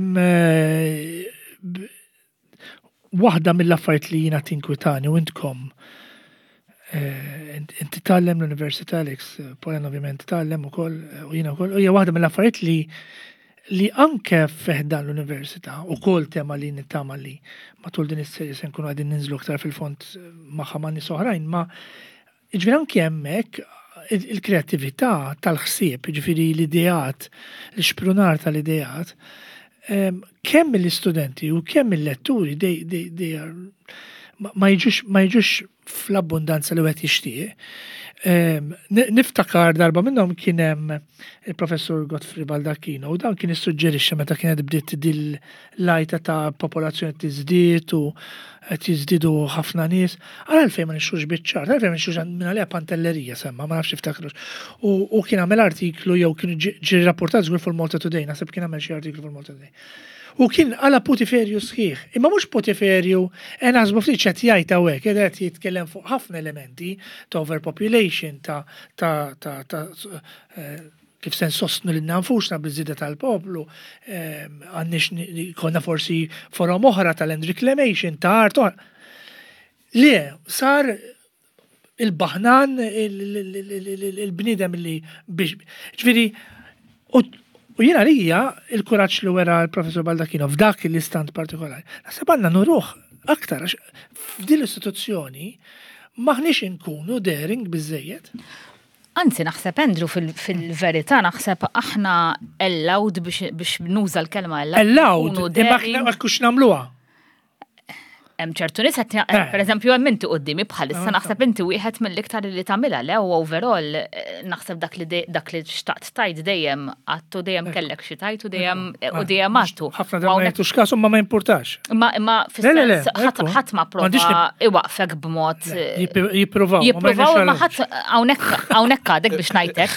Waħda mill-affarijiet li jiena tinkwitani u intkom eh, inti tgħallem l-Università Alex, Polen ovvjament tgħallem ukoll u jiena wkoll, hija waħda mill-affarijiet li li anke feħdan l-università u kol tema li nittama li matul din is-serje se nkunu għadin ninżlu aktar fil-fond magħha ma' nies oħrajn, ma ġifieri anke hemmhekk il-kreattività tal-ħsieb, ġifieri l-ideat, l-xprunar tal-ideat, kemm mill-istudenti u kemm mill-letturi they are ma jiġux ma jiġux fl-abbundanza li wieħed jixtieq. Niftakar darba minnhom kien hemm il-professur Godfrey Baldacchino u dan kien issuġġerixxa meta kienet bdiet dil l-għajta ta' popolazzjoni tiżdied u qed jiżdiedu ħafna nies. Ara għalfejn ma nixtrux biċ-ċart, għalfejn ma nixtrux minn għaliha pantellerija semma, ma nafx tiftakrux. U kien għamel artiklu jew kien ġie rrapportat żgur fuq Malta Today, naħseb kien għamel xi artiklu fuq Malta Today. U kien għala putiferju sħiħ. Imma mhux putiferju, e naħsbu ftit x'qed jgħid hawnhekk, qed jitkellem fuq ħafna elementi ta' overpopulation, ta' ta' ta' ta' eh, kif se nsostnu lilna nfusna biż-żieda tal-poplu, għandniex konna forsi forom oħra ta' land reclamation, ta' art oħra. Le, sar il-baħnan, il-bniedem li biex. Ġifieri, u jiena lija il-kuraġġ li wera l-professor Baldacchino f'dak l-istant partikolari. Naħseb għandna nuruh aktar għax f'din l-istituzzjoni maħniex inkunu daring biżejjed. Anzi, naħseb Andrew fil-verità naħseb aħna allowed biex nuża l-kelma allowed. Allowed, imma ma kux nagħmluha. Hemm ċertu nies qed eh. pereżempju hemm inti quddiemi bħalissa ah, naħseb inti wieħed mill-iktar li tagħmilha le u overall eh, naħseb dak li dak li xtaqt tajt dejjem għattu dejjem kellek xi tajt u dejjem u dejjem għattu. Ħafna drabi ma jagħtux każ ma ma jimpurtax. Ma imma fis-sens ħadd ma prova iwaqfek b'mod. Jippruvaw. Jippruvaw ma ħadd hawnhekk hawnhekk għadek biex ngħidlek.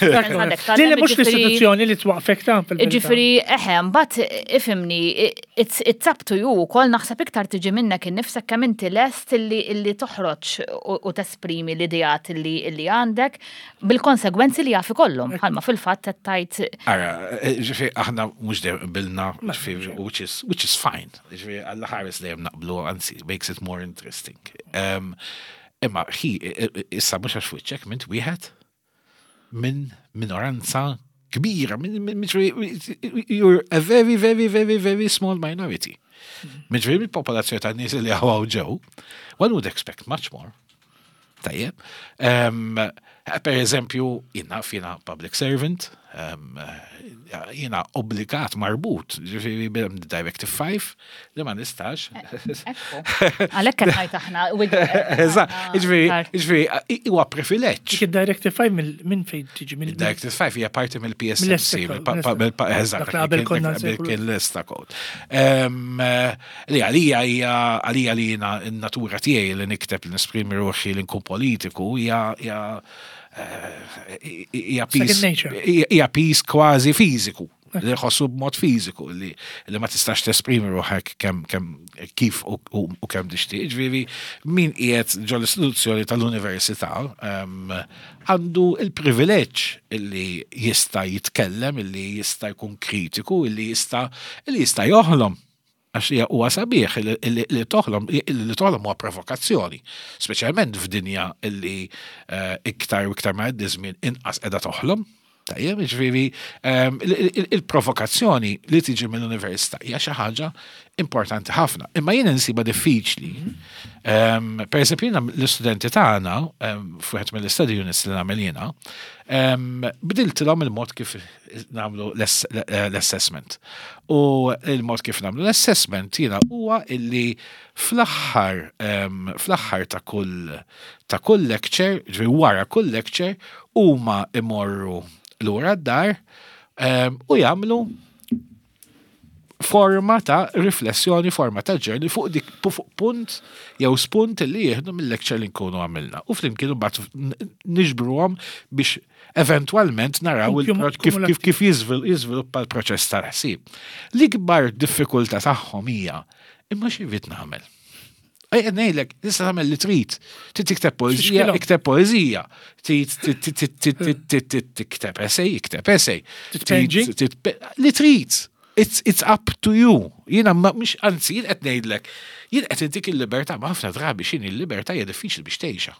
Le mhux l-istituzzjoni li twaqfek ta' Ġifieri eħe mbagħad ifhimni it's up to you ukoll naħseb iktar tiġi minnek innifsek kemm inti lest illi toħroġ u tesprimi l-ideat illi għandek bil-konsegwenzi li jaf ikollhom, bħalma fil-fatt qed tgħid. Ara, ġifieri aħna mhux dejjem qbilna, ġifieri which is which is fine. Ġifieri Alla ħares dejjem naqblu, anzi makes it more interesting. Imma hi issa mhux għax f'wiċċek mint wieħed minn minoranza kbira, you're a very, very, very, very small minority. Ġifieri il-popolazzjoni ta' nies li għaw ġew, one would expect much more. Tajjeb. Per eżempju, jina fina public servant, jina obbligat marbut, ġifiri Directive 5, li ma nistax. Għalek qed ngħid aħna. Eżatt, ġifiri, ġifiri, huwa privileġġ. Dik id-Directive 5 minn fejn tiġi mill Directive 5 hija parti mill-PSMC, eżatt, kien l-esta code. Li għalija hija għalija li jiena n-natura tiegħi li nikteb li nesprimi ruħi li nkun politiku hija hija eh, hija hija piż kważi fiżiku li ħossu b'mod fiżiku li, li ma tistax tesprimi ruħek kemm kemm kif u, u, u kemm tixtieq. Ġifieri min qiegħed ġol istituzzjoni tal-università għandu il-privileġġ illi jista' jitkellem, illi jista' jkun kritiku, illi jista' illi jista' joħlom. Għax hija huwa sabiħ li toħlom, li toħlom huwa provokazzjoni, speċjalment f'dinja li eh, iktar u iktar ma jgħaddi żmien inqas qiegħda toħlom. Tajjeb, ġifieri ehm, il-provokazzjoni li tiġi mill-università hija xi ħaġa importanti ħafna. Imma jien insiba diffiċli. Ehm, per eżempju, jiena l-istudenti tagħna ehm, f'wieħed mill-study units li nagħmel jiena, bdiltilhom il-mod kif nagħmlu l-assessment. U il-mod kif nagħmlu l-assessment jiena huwa illi fl-aħħar fl-aħħar ta' kull ta' kull lecture, ġifieri wara kull lecture, huma imorru lura d-dar u jagħmlu forma ta' riflessjoni, forma ta' journey fuq dik fuq punt jew spunt li jieħdu mill-lecture li nkunu għamilna. U flimkien mbagħad niġbruhom biex eventwalment naraw kif kif kif jiżviluppa l-proċess tal-ħsieb. L-ikbar diffikultà tagħhom hija imma xi rrid nagħmel. Ejja ngħidlek, tista' tagħmel li trid. Trid tikteb poeżija, ikteb poeżija. Trid tikteb essay, ikteb essay. Li trid. It's, it's up to you. Jiena mhux anzi jien qed ngħidlek, jien qed intik il-libertà, ma ħafna drabi x'inhi l-libertà hija diffiċli biex tgħixha.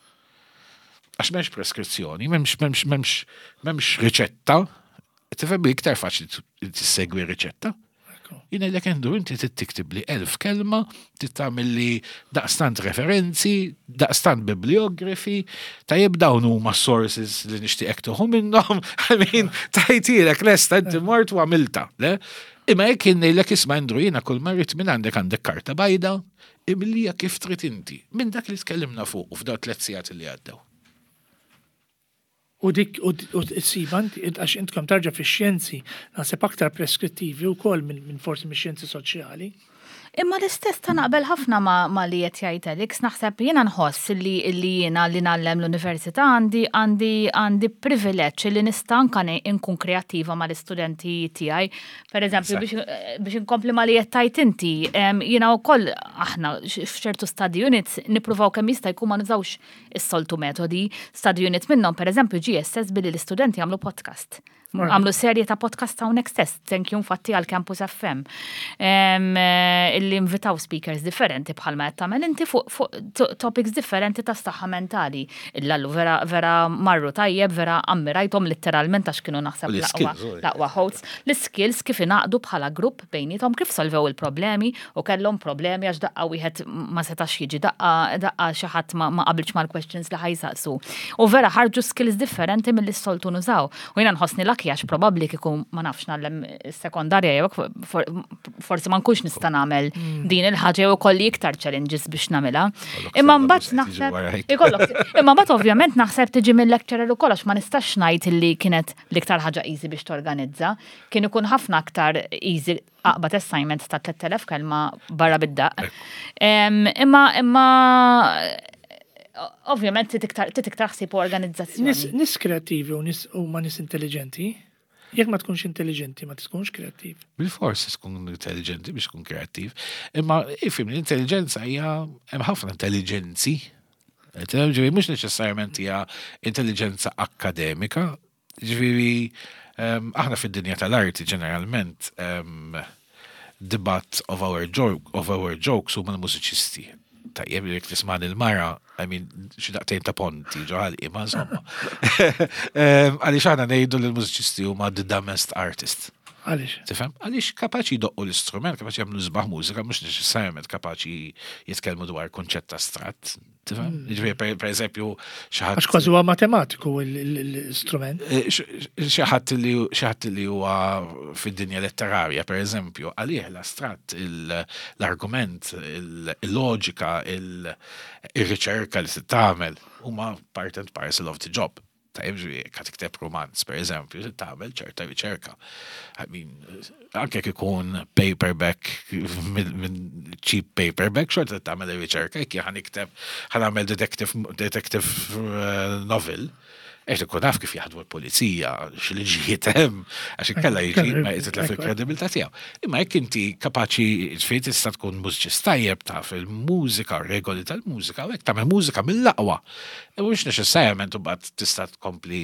Għax m'hemmx preskrizzjoni, m'hemmx m'hemmx m'hemmx m'hemmx riċetta. Tifhem iktar faċli tissegwi riċetta. Jien ngħidlek Andrew inti trid tiktibli 1000 kelma, trid tagħmilli daqstant referenzi, daqstant bibliografi, tajjeb dawn huma sources li nixtieqek tieħu minnhom, I mean, tajtilek lesta inti mort u għamilta, le? Imma jekk jien ngħidlek isma' Andrew jiena kull ma rrid minn għandek għandek karta bajda, imlija kif trid inti, minn dak li tkellimna fuq u f'dawn tliet sigħat li għaddew. U dik u ssibha inti, għax intkom tarġa' fix-xjenzi naħseb aktar preskrittivi wkoll minn forsi mix-xjenzi soċjali. Imma l-istess ta' naqbel ħafna ma, ma li qed jgħid Alex, naħseb jiena nħoss li li jiena li ngħallem l-università għandi għandi għandi privileġġ li nista' anka nkun kreattiva mal-istudenti tiegħi. Per eżempju, biex, biex inkompli ma li qed tgħid inti, jiena wkoll aħna f'ċertu study units nippruvaw kemm jista' jkun ma nużawx is-soltu metodi. Study unit minnhom pereżempju ġie assess billi l-istudenti għamlu podcast. Għamlu serje ta' podcast hawnhekk stess, thank you infatti għal Campus FM. Eh, illi invitaw speakers differenti bħalma qed tagħmel inti fuq fu topics differenti ta' saħħa mentali. Illallu vera vera marru tajjeb, vera ammirajthom letteralment għax kienu naħseb l-aqwa hosts. L-skills kif ingħaqdu bħala grupp bejniethom kif solvew il-problemi u kellhom problemi għax daqqa wieħed ma setax jiġi daqqa daqqa xi ħadd ma, ma qabilx mal-questions li ħajsaqsu. U vera ħarġu skills differenti milli s-soltu nużaw. U jiena nħossni lucky għax probabbli kieku ma nafx nagħllem sekondarja jew forsi ma nkunx nista' nagħmel mm. din il-ħaġa jew ikolli iktar challenges biex nagħmilha. Imma mbagħad naħseb ikollok imma mbagħad ovvjament naħseb tiġi mill-lecturer ukoll għax ma nistax ngħid illi kienet l-iktar ħaġa easy biex torganizza. Kien ikun ħafna aktar easy aqbad assignment ta' 3000 kelma barra bid-daq. Imma imma ovvjament titiktar ħsieb u organizzazzjoni. Nis kreattivi u nis huma nis intelligenti. Jekk ma tkunx intelligenti, ma tkunx kreattiv. Bil-fors tkun intelligenti biex tkun kreattiv. Imma ifim l-intelligenza hija hemm ħafna intelligenzi. Ġifieri mhux neċessarjament hija intelligenza akkademika, Ġifieri, ehm, aħna fid-dinja tal-arti ġeneralment ehm, the butt of our, joke, of our jokes huma l-mużiċisti. Tajjeb li jekk tisma' il-mara, I mean, xi daqtejn ta' ponti ġo ħalqi, ma insomma. Ehm, għaliex aħna ngħidu li l-mużiċisti huma the dumbest artist. Għaliex? Tifhem? Għaliex kapaċi jdoqqu l-istrument, kapaċi jagħmlu sbaħ mużika, mhux neċessarjament kapaċi jitkellmu dwar kunċett astratt. Tifhem? Mm. Ġifieri per eżempju xi ħadd. Għax kważi huwa matematiku l-istrument. Eh, xi ħadd li xi ħadd li huwa fid-dinja letterarja per eżempju, għalih l-astratt, l-argument, il-loġika, il-riċerka li se tagħmel huma part and parcel of the job. Tajjeb ġifieri jekk tikteb romanz, per eżempju, trid tagħmel ċerta riċerka. I mean, anke jekk ikun paperback minn cheap paperback, xorta tagħmel ir-riċerka, jekk ħa nikteb ħa nagħmel detective, detective eh, novel, qed ikun naf kif jaħdmu l-pulizija, x'liġijiet hemm, għax inkella jiġi ma jitlef il-kredibilità tiegħu. Imma jekk inti kapaċi ġifieri tista' tkun mużiċist tajjeb taf il-mużika, regoli tal-mużika, u hekk tagħmel mużika mill-aqwa. Mhux neċessarjament imbagħad tista' tkompli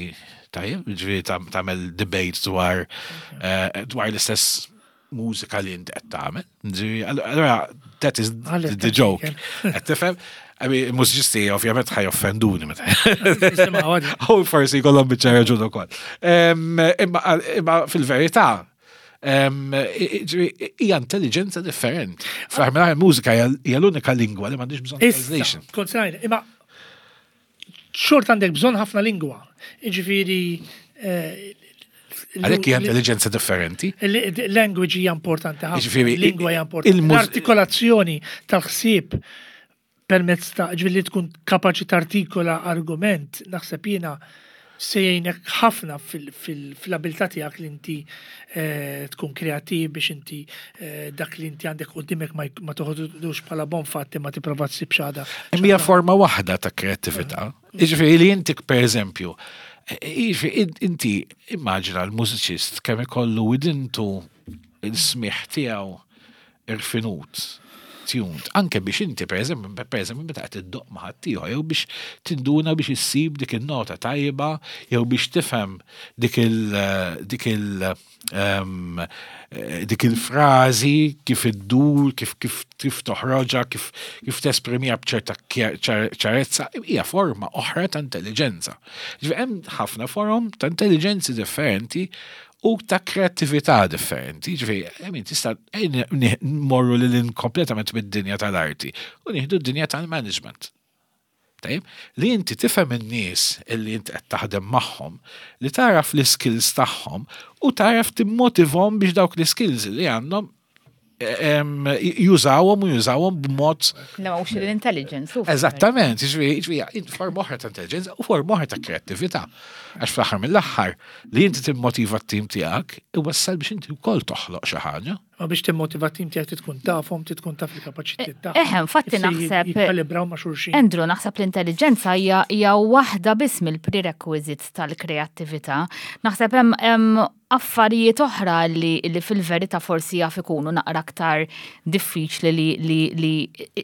tajjeb, ġifieri tagħmel debate dwar eh, dwar l-istess mużika li inti qed tagħmel. Ġifieri, allura that is the joke. Qed tifhem? I mean, mużiċisti ovvjament ħa joffenduni meta. U forsi jkollhom biċċa raġun ukoll. Imma fil-verità, hija intelligenza differenti. Fl-aħħar mużika hija l-unika lingwa li m'għandix bżonn translation. Kont imma xort għandek bżonn ħafna lingwa. Ġifieri eh, Għalhekk hija intelligenza differenti. Language hija importanti ħafna. Lingwa hija importanti. L-artikolazzjoni tal-ħsieb permezz ta' ġifieri li tkun kapaċi tartikola argument, naħseb jiena se jgħinek ħafna fil-abilità tiegħek li inti eh, tkun kreattiv biex inti eh, dak li inti għandek qudiemek ma toħodux bħala bon fatti ma tipprova tsib xada. Hija forma waħda ta' kreattività. Jiġifieri li inti per eżempju, jiġifieri inti immaġina l-mużiċist kemm ikollu widintu il-smigħ tiegħu irfinut, tuned, anke biex inti per eżempju, per eżempju meta qed iddoqq ma' ħaddieħor jew biex tinduna biex issib dik in-nota tajba jew biex tifhem dik il dik il um, dik il-frażi kif iddur, kif kif kif toħroġha, kif kif tesprimiha b'ċerta ċarezza, hija forma oħra ta' intelligenza. Ġifieri hemm ħafna forom ta' intelligenzi differenti. u ta' kreattività differenti. Ġifieri, I mean, tista' morru lil kompletament mid-dinja tal-arti u nieħdu d-dinja tal-management. Tajjeb, li inti tifhem in-nies illi inti qed taħdem magħhom, li taraf l-iskills tagħhom u taraf timmotivhom biex dawk l-iskills li għandhom jużawhom u jużawhom b'mod. Emotional intelligence. Eżattament, jiġifieri forma oħra ta' intelligence u forma oħra ta' kreattività. Għax fl-aħħar mill-aħħar li inti timmotiva t-tim tiegħek iwassal biex inti wkoll toħloq xi ħaġa. Ma biex timmotiva t-tim tiegħek trid tkun tafhom, trid tkun taf il-kapaċitajiet tagħhom. Eħe, infatti naħseb. Jikkalibraw ma' xulxin. Andrew, naħseb l-intelligenza hija waħda biss mill-prerequisites tal-kreattività. Naħseb hemm affarijiet oħra li, li fil-verità forsi jaf ikunu naqra aktar diffiċli li, li, li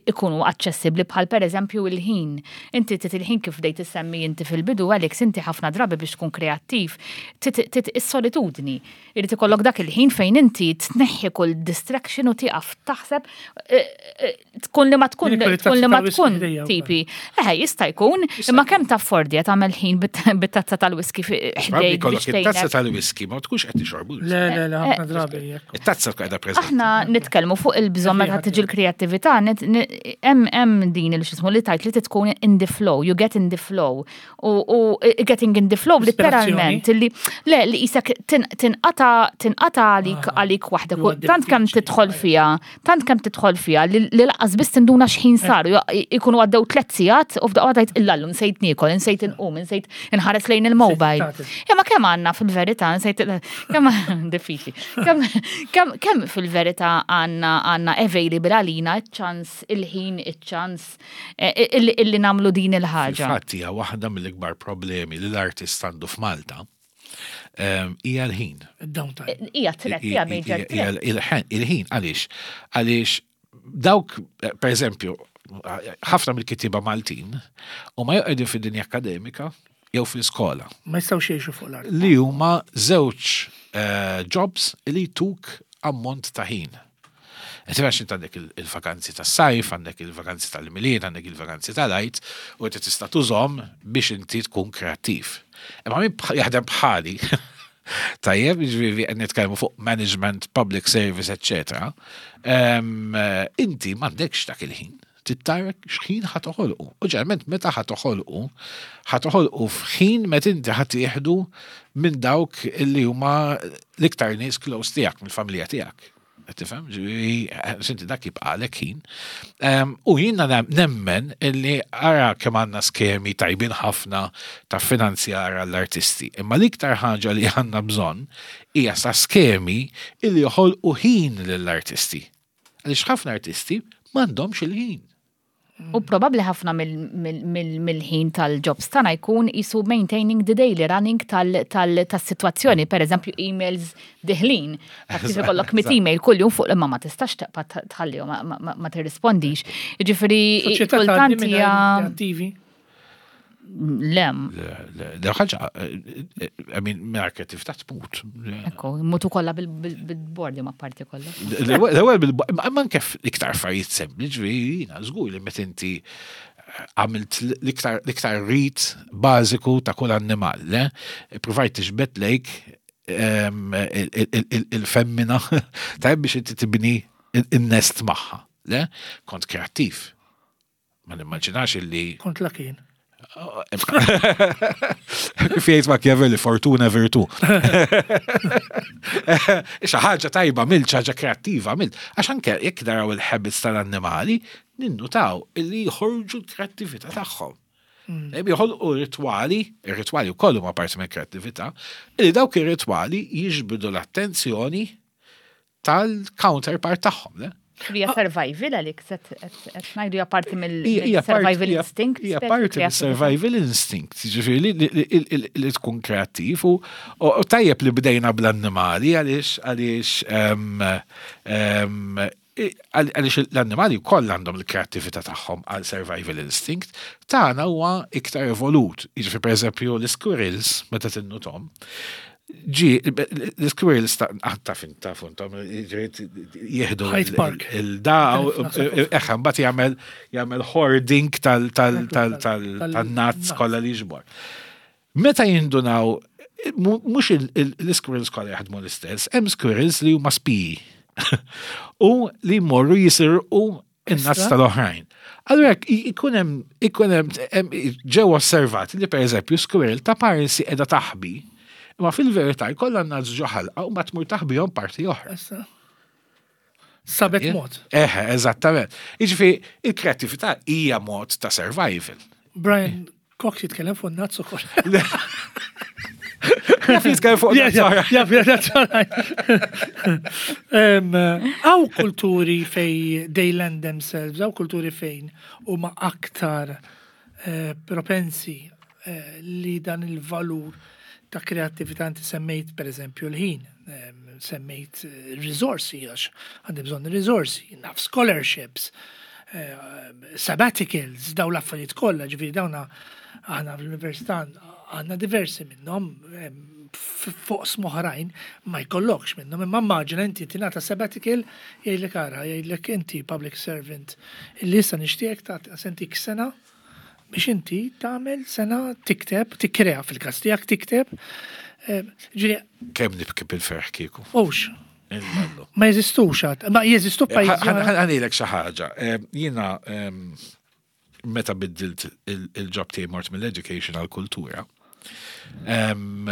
ikunu aċċessibbli bħal per eżempju il-ħin. Inti tit il-ħin kif bdejt issemmi inti fil-bidu, Alex, inti ħafna drabi biex tkun kreattiv, tit is-solitudni. Irid ikollok dak il-ħin fejn inti tneħħi kull distraction u tieqaf taħseb eh, eh, tkun li ma tkun tkun li ma tkun tipi. Eħe, jista' jkun, imma kemm taffordi qed tagħmel ħin bit-tazza tal-whisky ħdejk. It-tazza tal-whisky ma tkunx qed tixorbu. Le, le, le, ħafna drabi. It-tazza tkun qiegħda preżenti. Aħna nitkellmu fuq il-bżonn meta tiġi l-kreattività, hemm din il-xismu li tajt li tkun in the flow, you get in the flow. U getting in the flow literalment li le li isek tinqata tinqata għalik ah, għalik waħdek. Tant kemm tidħol fiha tant kemm tidħol fiha li laqas biss tinduna x'ħin eh. saru, ikunu għaddew tlet sigħat u f'daqqa tgħid illallum nsejt niekol, insejt inqum, insejt inħares lejn il-mobile. Imma kemm għandna fil-verità, nsejt kemm diffiċli. Kemm fil-verità għandna għandna available għalina ċ-ċans il-ħin, iċ-ċans eh, illi nagħmlu din il-ħaġa. Fatt hija waħda mill-ikbar problemi li l-artist għandu f'Malta hija l-ħin. Downtime. Hija threat, hija major threat. Il-ħin għaliex? Għaliex dawk, per eżempju, ħafna mill-kittieba Maltin u ma joqgħdu fid-dinja akademika jew fl-iskola. Ma jistgħux jgħixu fuq l-art. Li huma żewġ eh, jobs li tuk ammont ta' ħin. Qed għax int għandek il-vakanzi tas-sajf, għandek il-vakanzi tal-Milied, għandek il-vakanzi tal-Għid, u inti tista' tużhom biex inti tkun kreattiv. Imma min jaħdem bħali, tajjeb, jiġifieri qed nitkellmu fuq management, public service, eċċetera, inti m'għandekx dak il-ħin. Trid tara x'ħin ħa toħolqu. U ġeneralment meta ħa toħolqu, ħa toħolqu f'ħin meta inti ħa tieħdu minn dawk li huma l-iktar nies close tiegħek, mill-familja tiegħek. Tifhem? Ġifieri, dak jibqalek ħin. U jiena nemmen illi ara kemm għandna skemi tajbin ħafna ta' finanzjar għall-artisti. Imma l-iktar ħaġa li għandna bżonn hija sa skemi illi joħolqu ħin lill-artisti. Għaliex ħafna artisti m'għandhomx il-ħin. U probabbli ħafna mill-ħin tal-jobs tagħna jkun isu maintaining the daily running tas-sitwazzjoni, per eżempju emails diħlin. Kif ikollok mit email kuljum fuq imma ma tistax taqpa' tħallihom ma tirrispondix. Jiġifieri kultant hija Lem. Le, ħaġa, I mean, minn kreatività tmut. Ekku, mutu kollha bil-bordi ma parti kollha. L-ewwel bil-bordi, ma anke iktar affarijiet sempliċi, jiena żgur li meta inti għamilt l-iktar rit bażiku ta' kull annimal, le? Provajt tiġbed lejk il-femmina, tajb biex inti tibni in-nest magħha, le? Kont kreattiv. Ma nimmaġinax illi. Kont lakin. Kif jgħid Machiavelli, fortuna virtu. Xi ħaġa tajba mill, xi ħaġa kreattiva mill. Għax anke jekk naraw il-habits tal-annimali, ninnutaw illi jħorġu l-kreattività tagħhom. Mm. Joħolqu ritwali, ir-ritwali wkoll huma parti mill-kreattività, illi dawk ir-ritwali jiġbdu l-attenzjoni tal-counterpart tagħhom, le? Hija survival għalik, qed ngħidu hija parti mill-survival instinct. Hija parti mill-survival instinct, jiġifieri li tkun kreattiv u tajjeb li bdejna bl-annimali għaliex għaliex għaliex l-annimali wkoll għandhom il-kreattività tagħhom għal survival instinct, tagħna huwa iktar evolut. Jiġifieri pereżempju l-squirrels meta tinnutom, Ġi, l-squirrels ta' ah, taf taf intom, jieħdu il-da, eħe, mbagħad jagħmel jagħmel hoarding tal-nuts kollha li jiġbor. Meta jindunaw Mhux l-squirrels kollha jaħdmu l-istess, hemm squirrels li huma spiji u li jmorru jisirqu in-nuts tal-oħrajn. Allura ikun hemm ikun hemm ġew osservati li pereżempju squirrel ta' parsi qiegħda taħbi, imma fil-verità jkollha n-nuts ġo ħalqa u ma tmur taħbihom parti oħra. Sabet mod. Eħe, eżattament. Jiġifieri il-kreattività hija mod ta' survival. Brian Cox jitkellem fuq nuts ukoll. Jaf jitkellem fuq nuts. Jaf Hawn kulturi fej they lend themselves, hawn kulturi fejn huma aktar eh, propensi eh, li dan il-valur ta' kreattività inti semmejt per eżempju l-ħin, semmejt eh, risorsi għax għandi bżonn risorsi, naf scholarships, eh, sabbaticals, daw l-affarijiet kollha, ġifieri dawna aħna fl-università għandna diversi minnhom fuq smoħrajn ma jkollokx minnhom, imma immaġina inti tingħata sabbatical jgħidlek ara, jgħidlek inti public servant illi issa nixtieq ta' sentik sena biex inti tagħmel sena tikteb, tikkrea fil-każ tiegħek tikteb. Eh, ġifieri Kemm nibki bil-ferħ kieku. Ux. Ma jeżistux għad, ma jeżistu eh, pajjiżi. Ħanilek xi ħaġa. Eh, jiena ehm, meta biddilt il-job tiegħi mort mill-education għall-kultura. Ehm,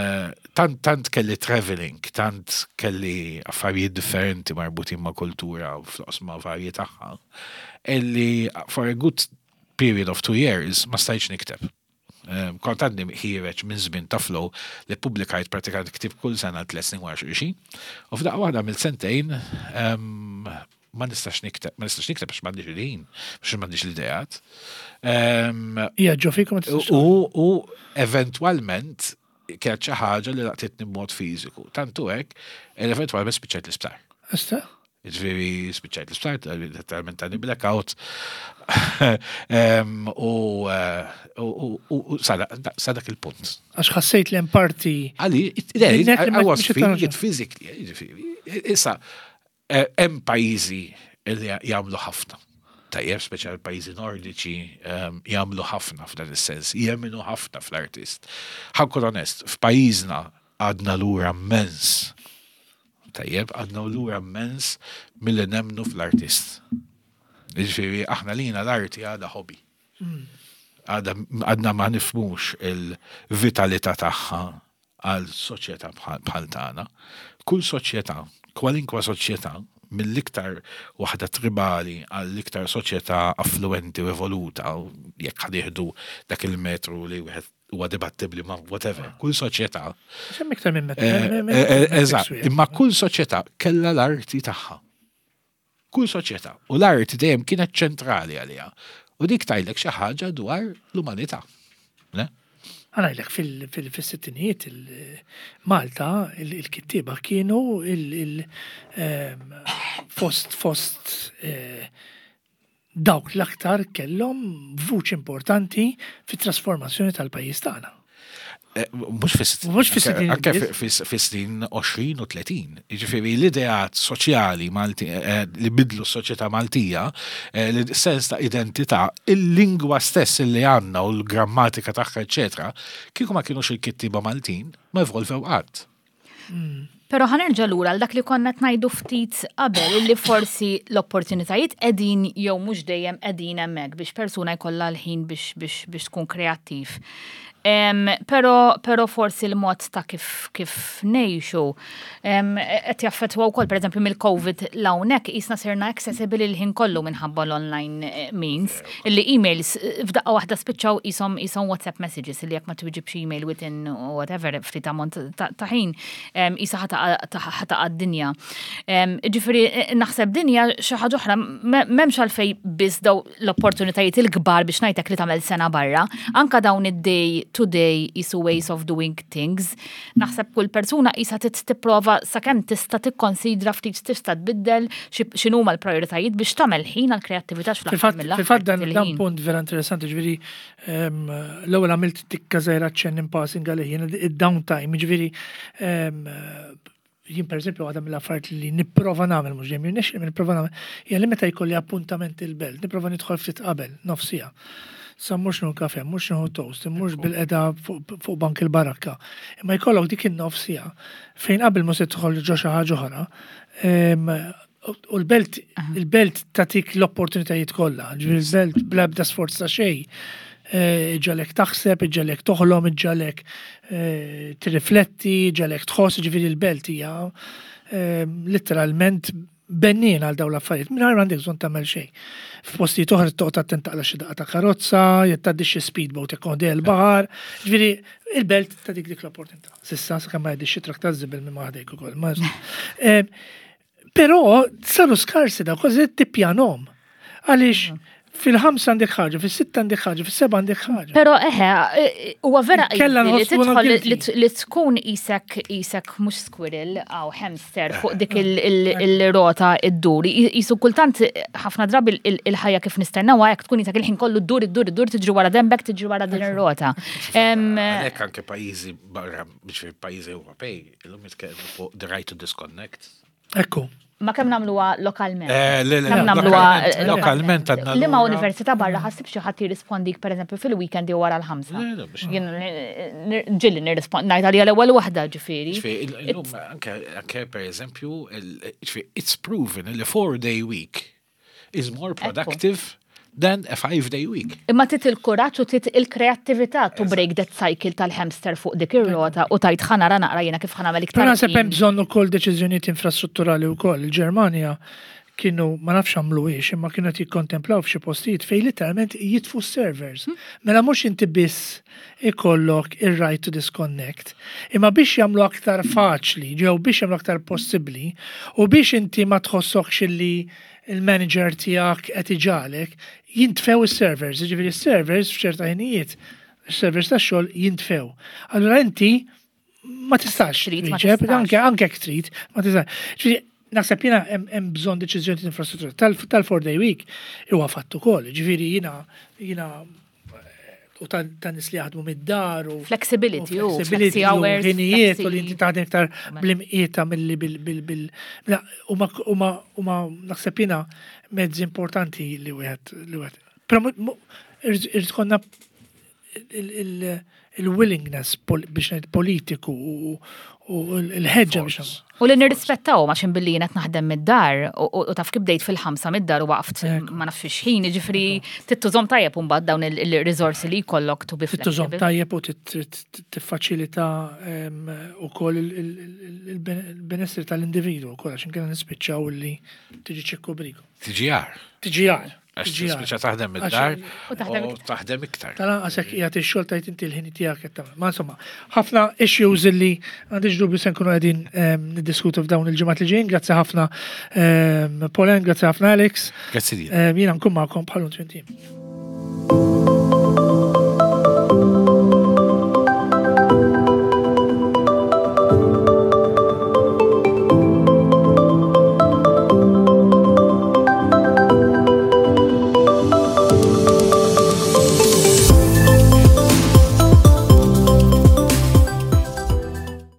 tant tant kelli traveling, tant kelli affarijiet differenti marbutin ma' kultura u fl-oqsma varji tagħha, illi for a good period of 2 years ma stajtx nikteb. Kont għadni ħiereġ minn żmien ta' flow li publikajt pratikament ktib kull sena 3 snin wara xulxin. U f'daqqa waħda mill sentejn ma nistax nikteb, ma nistax nikteb għax m'għandix il-ħin, għax m'għandix l-ideat. Hija ġo fikom ma tistax. U eventwalment kienet xi ħaġa li laqtitni b'mod fiżiku. Tantu hekk, eventwalment spiċċajt l-isptar. Ista? Ġifieri spiċċajt l-isptar, letteralment tani blackout. U sa dak il-punt. Għax ħassejt li hemm parti. Għali, I was feeling it physically, ġifieri. Issa, hemm pajjiżi li jagħmlu ħafna. Tajjeb, speċjal pajjiżi nordiċi, jagħmlu ħafna f'dan is-sens, jemminu ħafna fl-artist. Ħa nkun onest, f'pajjiżna għadna lura immens. Tajjeb, għadna lura immens milli nemmnu fl-artist. Ġifieri, aħna lina l-arti għadha hobby. Għadna ma nifhmux il-vitalità tagħha għal soċjetà bħal tagħna. Kull soċjetà, kwalinkwa soċjetà, mill-iktar waħda tribali għall-iktar soċjetà affluenti u evoluta, u jekk ħa nieħdu dak il-metru li wieħed huwa dibattibli ma whatever, kull soċjetà. Xemm iktar minn metru. Eżatt, imma kull soċjetà kellha l-arti tagħha. Kull soċjetà. U l-arti dejjem kienet ċentrali għaliha. U dik tgħidlek xi ħaġa dwar l-umanità. Ne? Ħa ngħidlek fil-sittinijiet Malta il-kittieba kienu fost dawk l-aktar kellhom vuċi importanti fit-trasformazzjoni tal-pajjiż tagħna. Mhux fis Mhux fis-sittin Anke biss. fis-snin 20 u 30. Jiġifieri l-ideat soċjali Malti li bidlu s-soċjetà Maltija, l-sens ta' identità, il-lingwa stess li għandna u l-grammatika tagħha, eċetera, kieku ma kienux il-kittiba Maltin, ma evolvew qatt. Pero ħa nerġa' lura għal dak li konna ngħidu ftit qabel illi forsi l-opportunitajiet qegħdin jew mhux dejjem qegħdin hemmhekk biex persuna jkollha l-ħin biex tkun kreattiv. Pero forsi l-mod ta' kif ngħixu qed jaffettwa wkoll pereżempju mill-COVID 'l hawnhekk qisna sirna accessible il-ħin kollu minħabba l-online means illi emails f'daqqa waħda spiċċaw qishom WhatsApp messages illi jekk ma twiġibx email within whatever ftit ammont ta' ħin qisha ħa taqa' d-dinja. Ġifieri naħseb dinja xi ħaġa oħra m'hemmx għalfejn biss daw l-opportunitajiet il-kbar biex ngħidlek li tagħmel sena barra, anka dawn id-day to day qisu ways of doing things. Naħseb kull persuna qisha tipprova sakemm tista' tikkonsidra ftit tista' tbiddel x'inhuma l-prioritajiet biex tagħmel ħin għall-kreattività x'fl-aħħar mill-aħħar Fil-fatt dan il-ħin. punt vera interessanti, ġifieri l-ewwel għamilt tikka żgħira ċenn in passing għalih jien id-downtime, ġifieri jien per eżempju għadha mill-affarijiet li nipprova nagħmel mhux dejjem jirnexxi nipprova nagħmel hija li meta jkolli appuntament il-belt, nipprova nidħol ftit qabel, nofsija. Sa mhux nieħu kafe, mhux nieħu toast, mhux bil-qeda fuq bank il-barakka. Imma jkollok dik in-nofs siegħa fejn qabel ma se tidħol ġo xi ħaġa oħra. U l-belt il-belt tagħtik l-opportunitajiet kollha, ġifieri l-belt bla ebda sforz ta' xejn. Eh, iġġagħlek taħseb, iġġagħlek toħlom, iġġagħlek eh, tirrifletti, iġġagħlek tħoss, ġifieri l-belt hija letteralment bennin għal dawn l-affarijiet, mingħajr m'għandek bżonn tagħmel xejn. F'postijiet oħra toqgħod attent taqla' xi daqqa ta' karozza, jekk tgħaddi xi speedboat jekk għodej il-baħar. Ġifieri il-belt ta' dik dik l-opportunità. Sissa sakemm ma jgħaddix xi trakk ta' żibel minn ma ħdejk ukoll. Eh, però saru skarsi da kważi tippjanom. Għaliex fil-ħamsa għandek ħaġa, fis-sitta għandek ħaġa, fis-seba għandek ħaġa. Però eħe, huwa vera Kella li tidħol li tkun isek isek mhux squirrel aw hamster fuq dik il-rota id-dur. Isu kultant ħafna drabi il-ħajja kif nistennewha jekk tkun isek il-ħin kollu ddur iddur iddur tiġri wara dembek tiġri wara din ir-rota. Għalhekk anke pajjiżi barra biex pajjiżi Ewropej illum jitkellmu fuq the right to disconnect. Ekku. Ma kemm nagħmluha lokalment? Eh, le, le, kemm nagħmluha eh, lokalment għandna. Liema università barra ħassib xi ħadd jirrispondik pereżempju fil-weekend jew wara l-ħamsa. Jien ġilli nirrispond ngħid għalija l-ewwel waħda ġifieri. Illum anke anke pereżempju, it's proven li four day week is more productive than a five-day week. Imma tit il-kuraġġ u tit il-kreattività to break that cycle tal-hamster fuq dik ir-rota u tajt ħanara naqra jiena kif ħanamel iktar. Però naħseb hemm bżonn ukoll deċiżjonijiet infrastrutturali wkoll. Il-Ġermanja kienu ma nafx għamluhiex imma kienu qed jikkontemplaw f'xi postijiet fejn literalment jitfu s-servers. Hmm. Mela mhux inti biss ikollok ir-right to disconnect, imma biex jagħmlu aktar faċli, ġew biex jagħmlu aktar possibbli u biex inti ma tħossokx illi il-manager tiegħek qed iġagħlek, jintfew is-servers, jiġifieri s-servers f'ċerta ħinijiet, is-servers tax-xogħol jintfew. Allura inti ma tistax twieġeb, anke anke jekk trid, ma tistax. Ġifieri naħseb jiena hemm bżonn deċiżjoni ta' infrastruttura tal-four day week huwa fatt ukoll, ġifieri jiena jiena u ta' nis li jaħdmu mid-dar u flexibility u flexibility u ħinijiet u li inti taħdem iktar bl-imqieta milli bil bil bil huma huma naħseb jiena mezzi importanti li wieħed li wieħed. Però irid konna il-willingness biex ngħid politiku u l-ħeġġa biex U li nirrispettaw ma xin billi qed naħdem mid-dar u taf kif bdejt fil-ħamsa mid-dar u waqft ma nafx x'ħin, jiġifieri tittużhom tajjeb imbagħad dawn il-riżorsi li jkollok to be Tittużhom tajjeb u tiffaċilita ukoll il-benessri tal-individwu wkoll għax inkella nispiċċaw li tiġi ċikku briku. Tiġi għar. Tiġi għar. Għax tispiċċa taħdem mid-dar u taħdem iktar. Tal-anqas hekk qiegħed ix-xogħol tajt inti l-ħin tiegħek qed tagħmel. Ma insomma, ħafna issues illi għandix dubju se nkunu qegħdin ehm, niddiskutu f'dawn il-ġimgħat li ġejjin. Grazzi ħafna ehm, Polen, grazzi ħafna Alex. Grazzi Ehm, jiena nkun magħkom bħal twintim.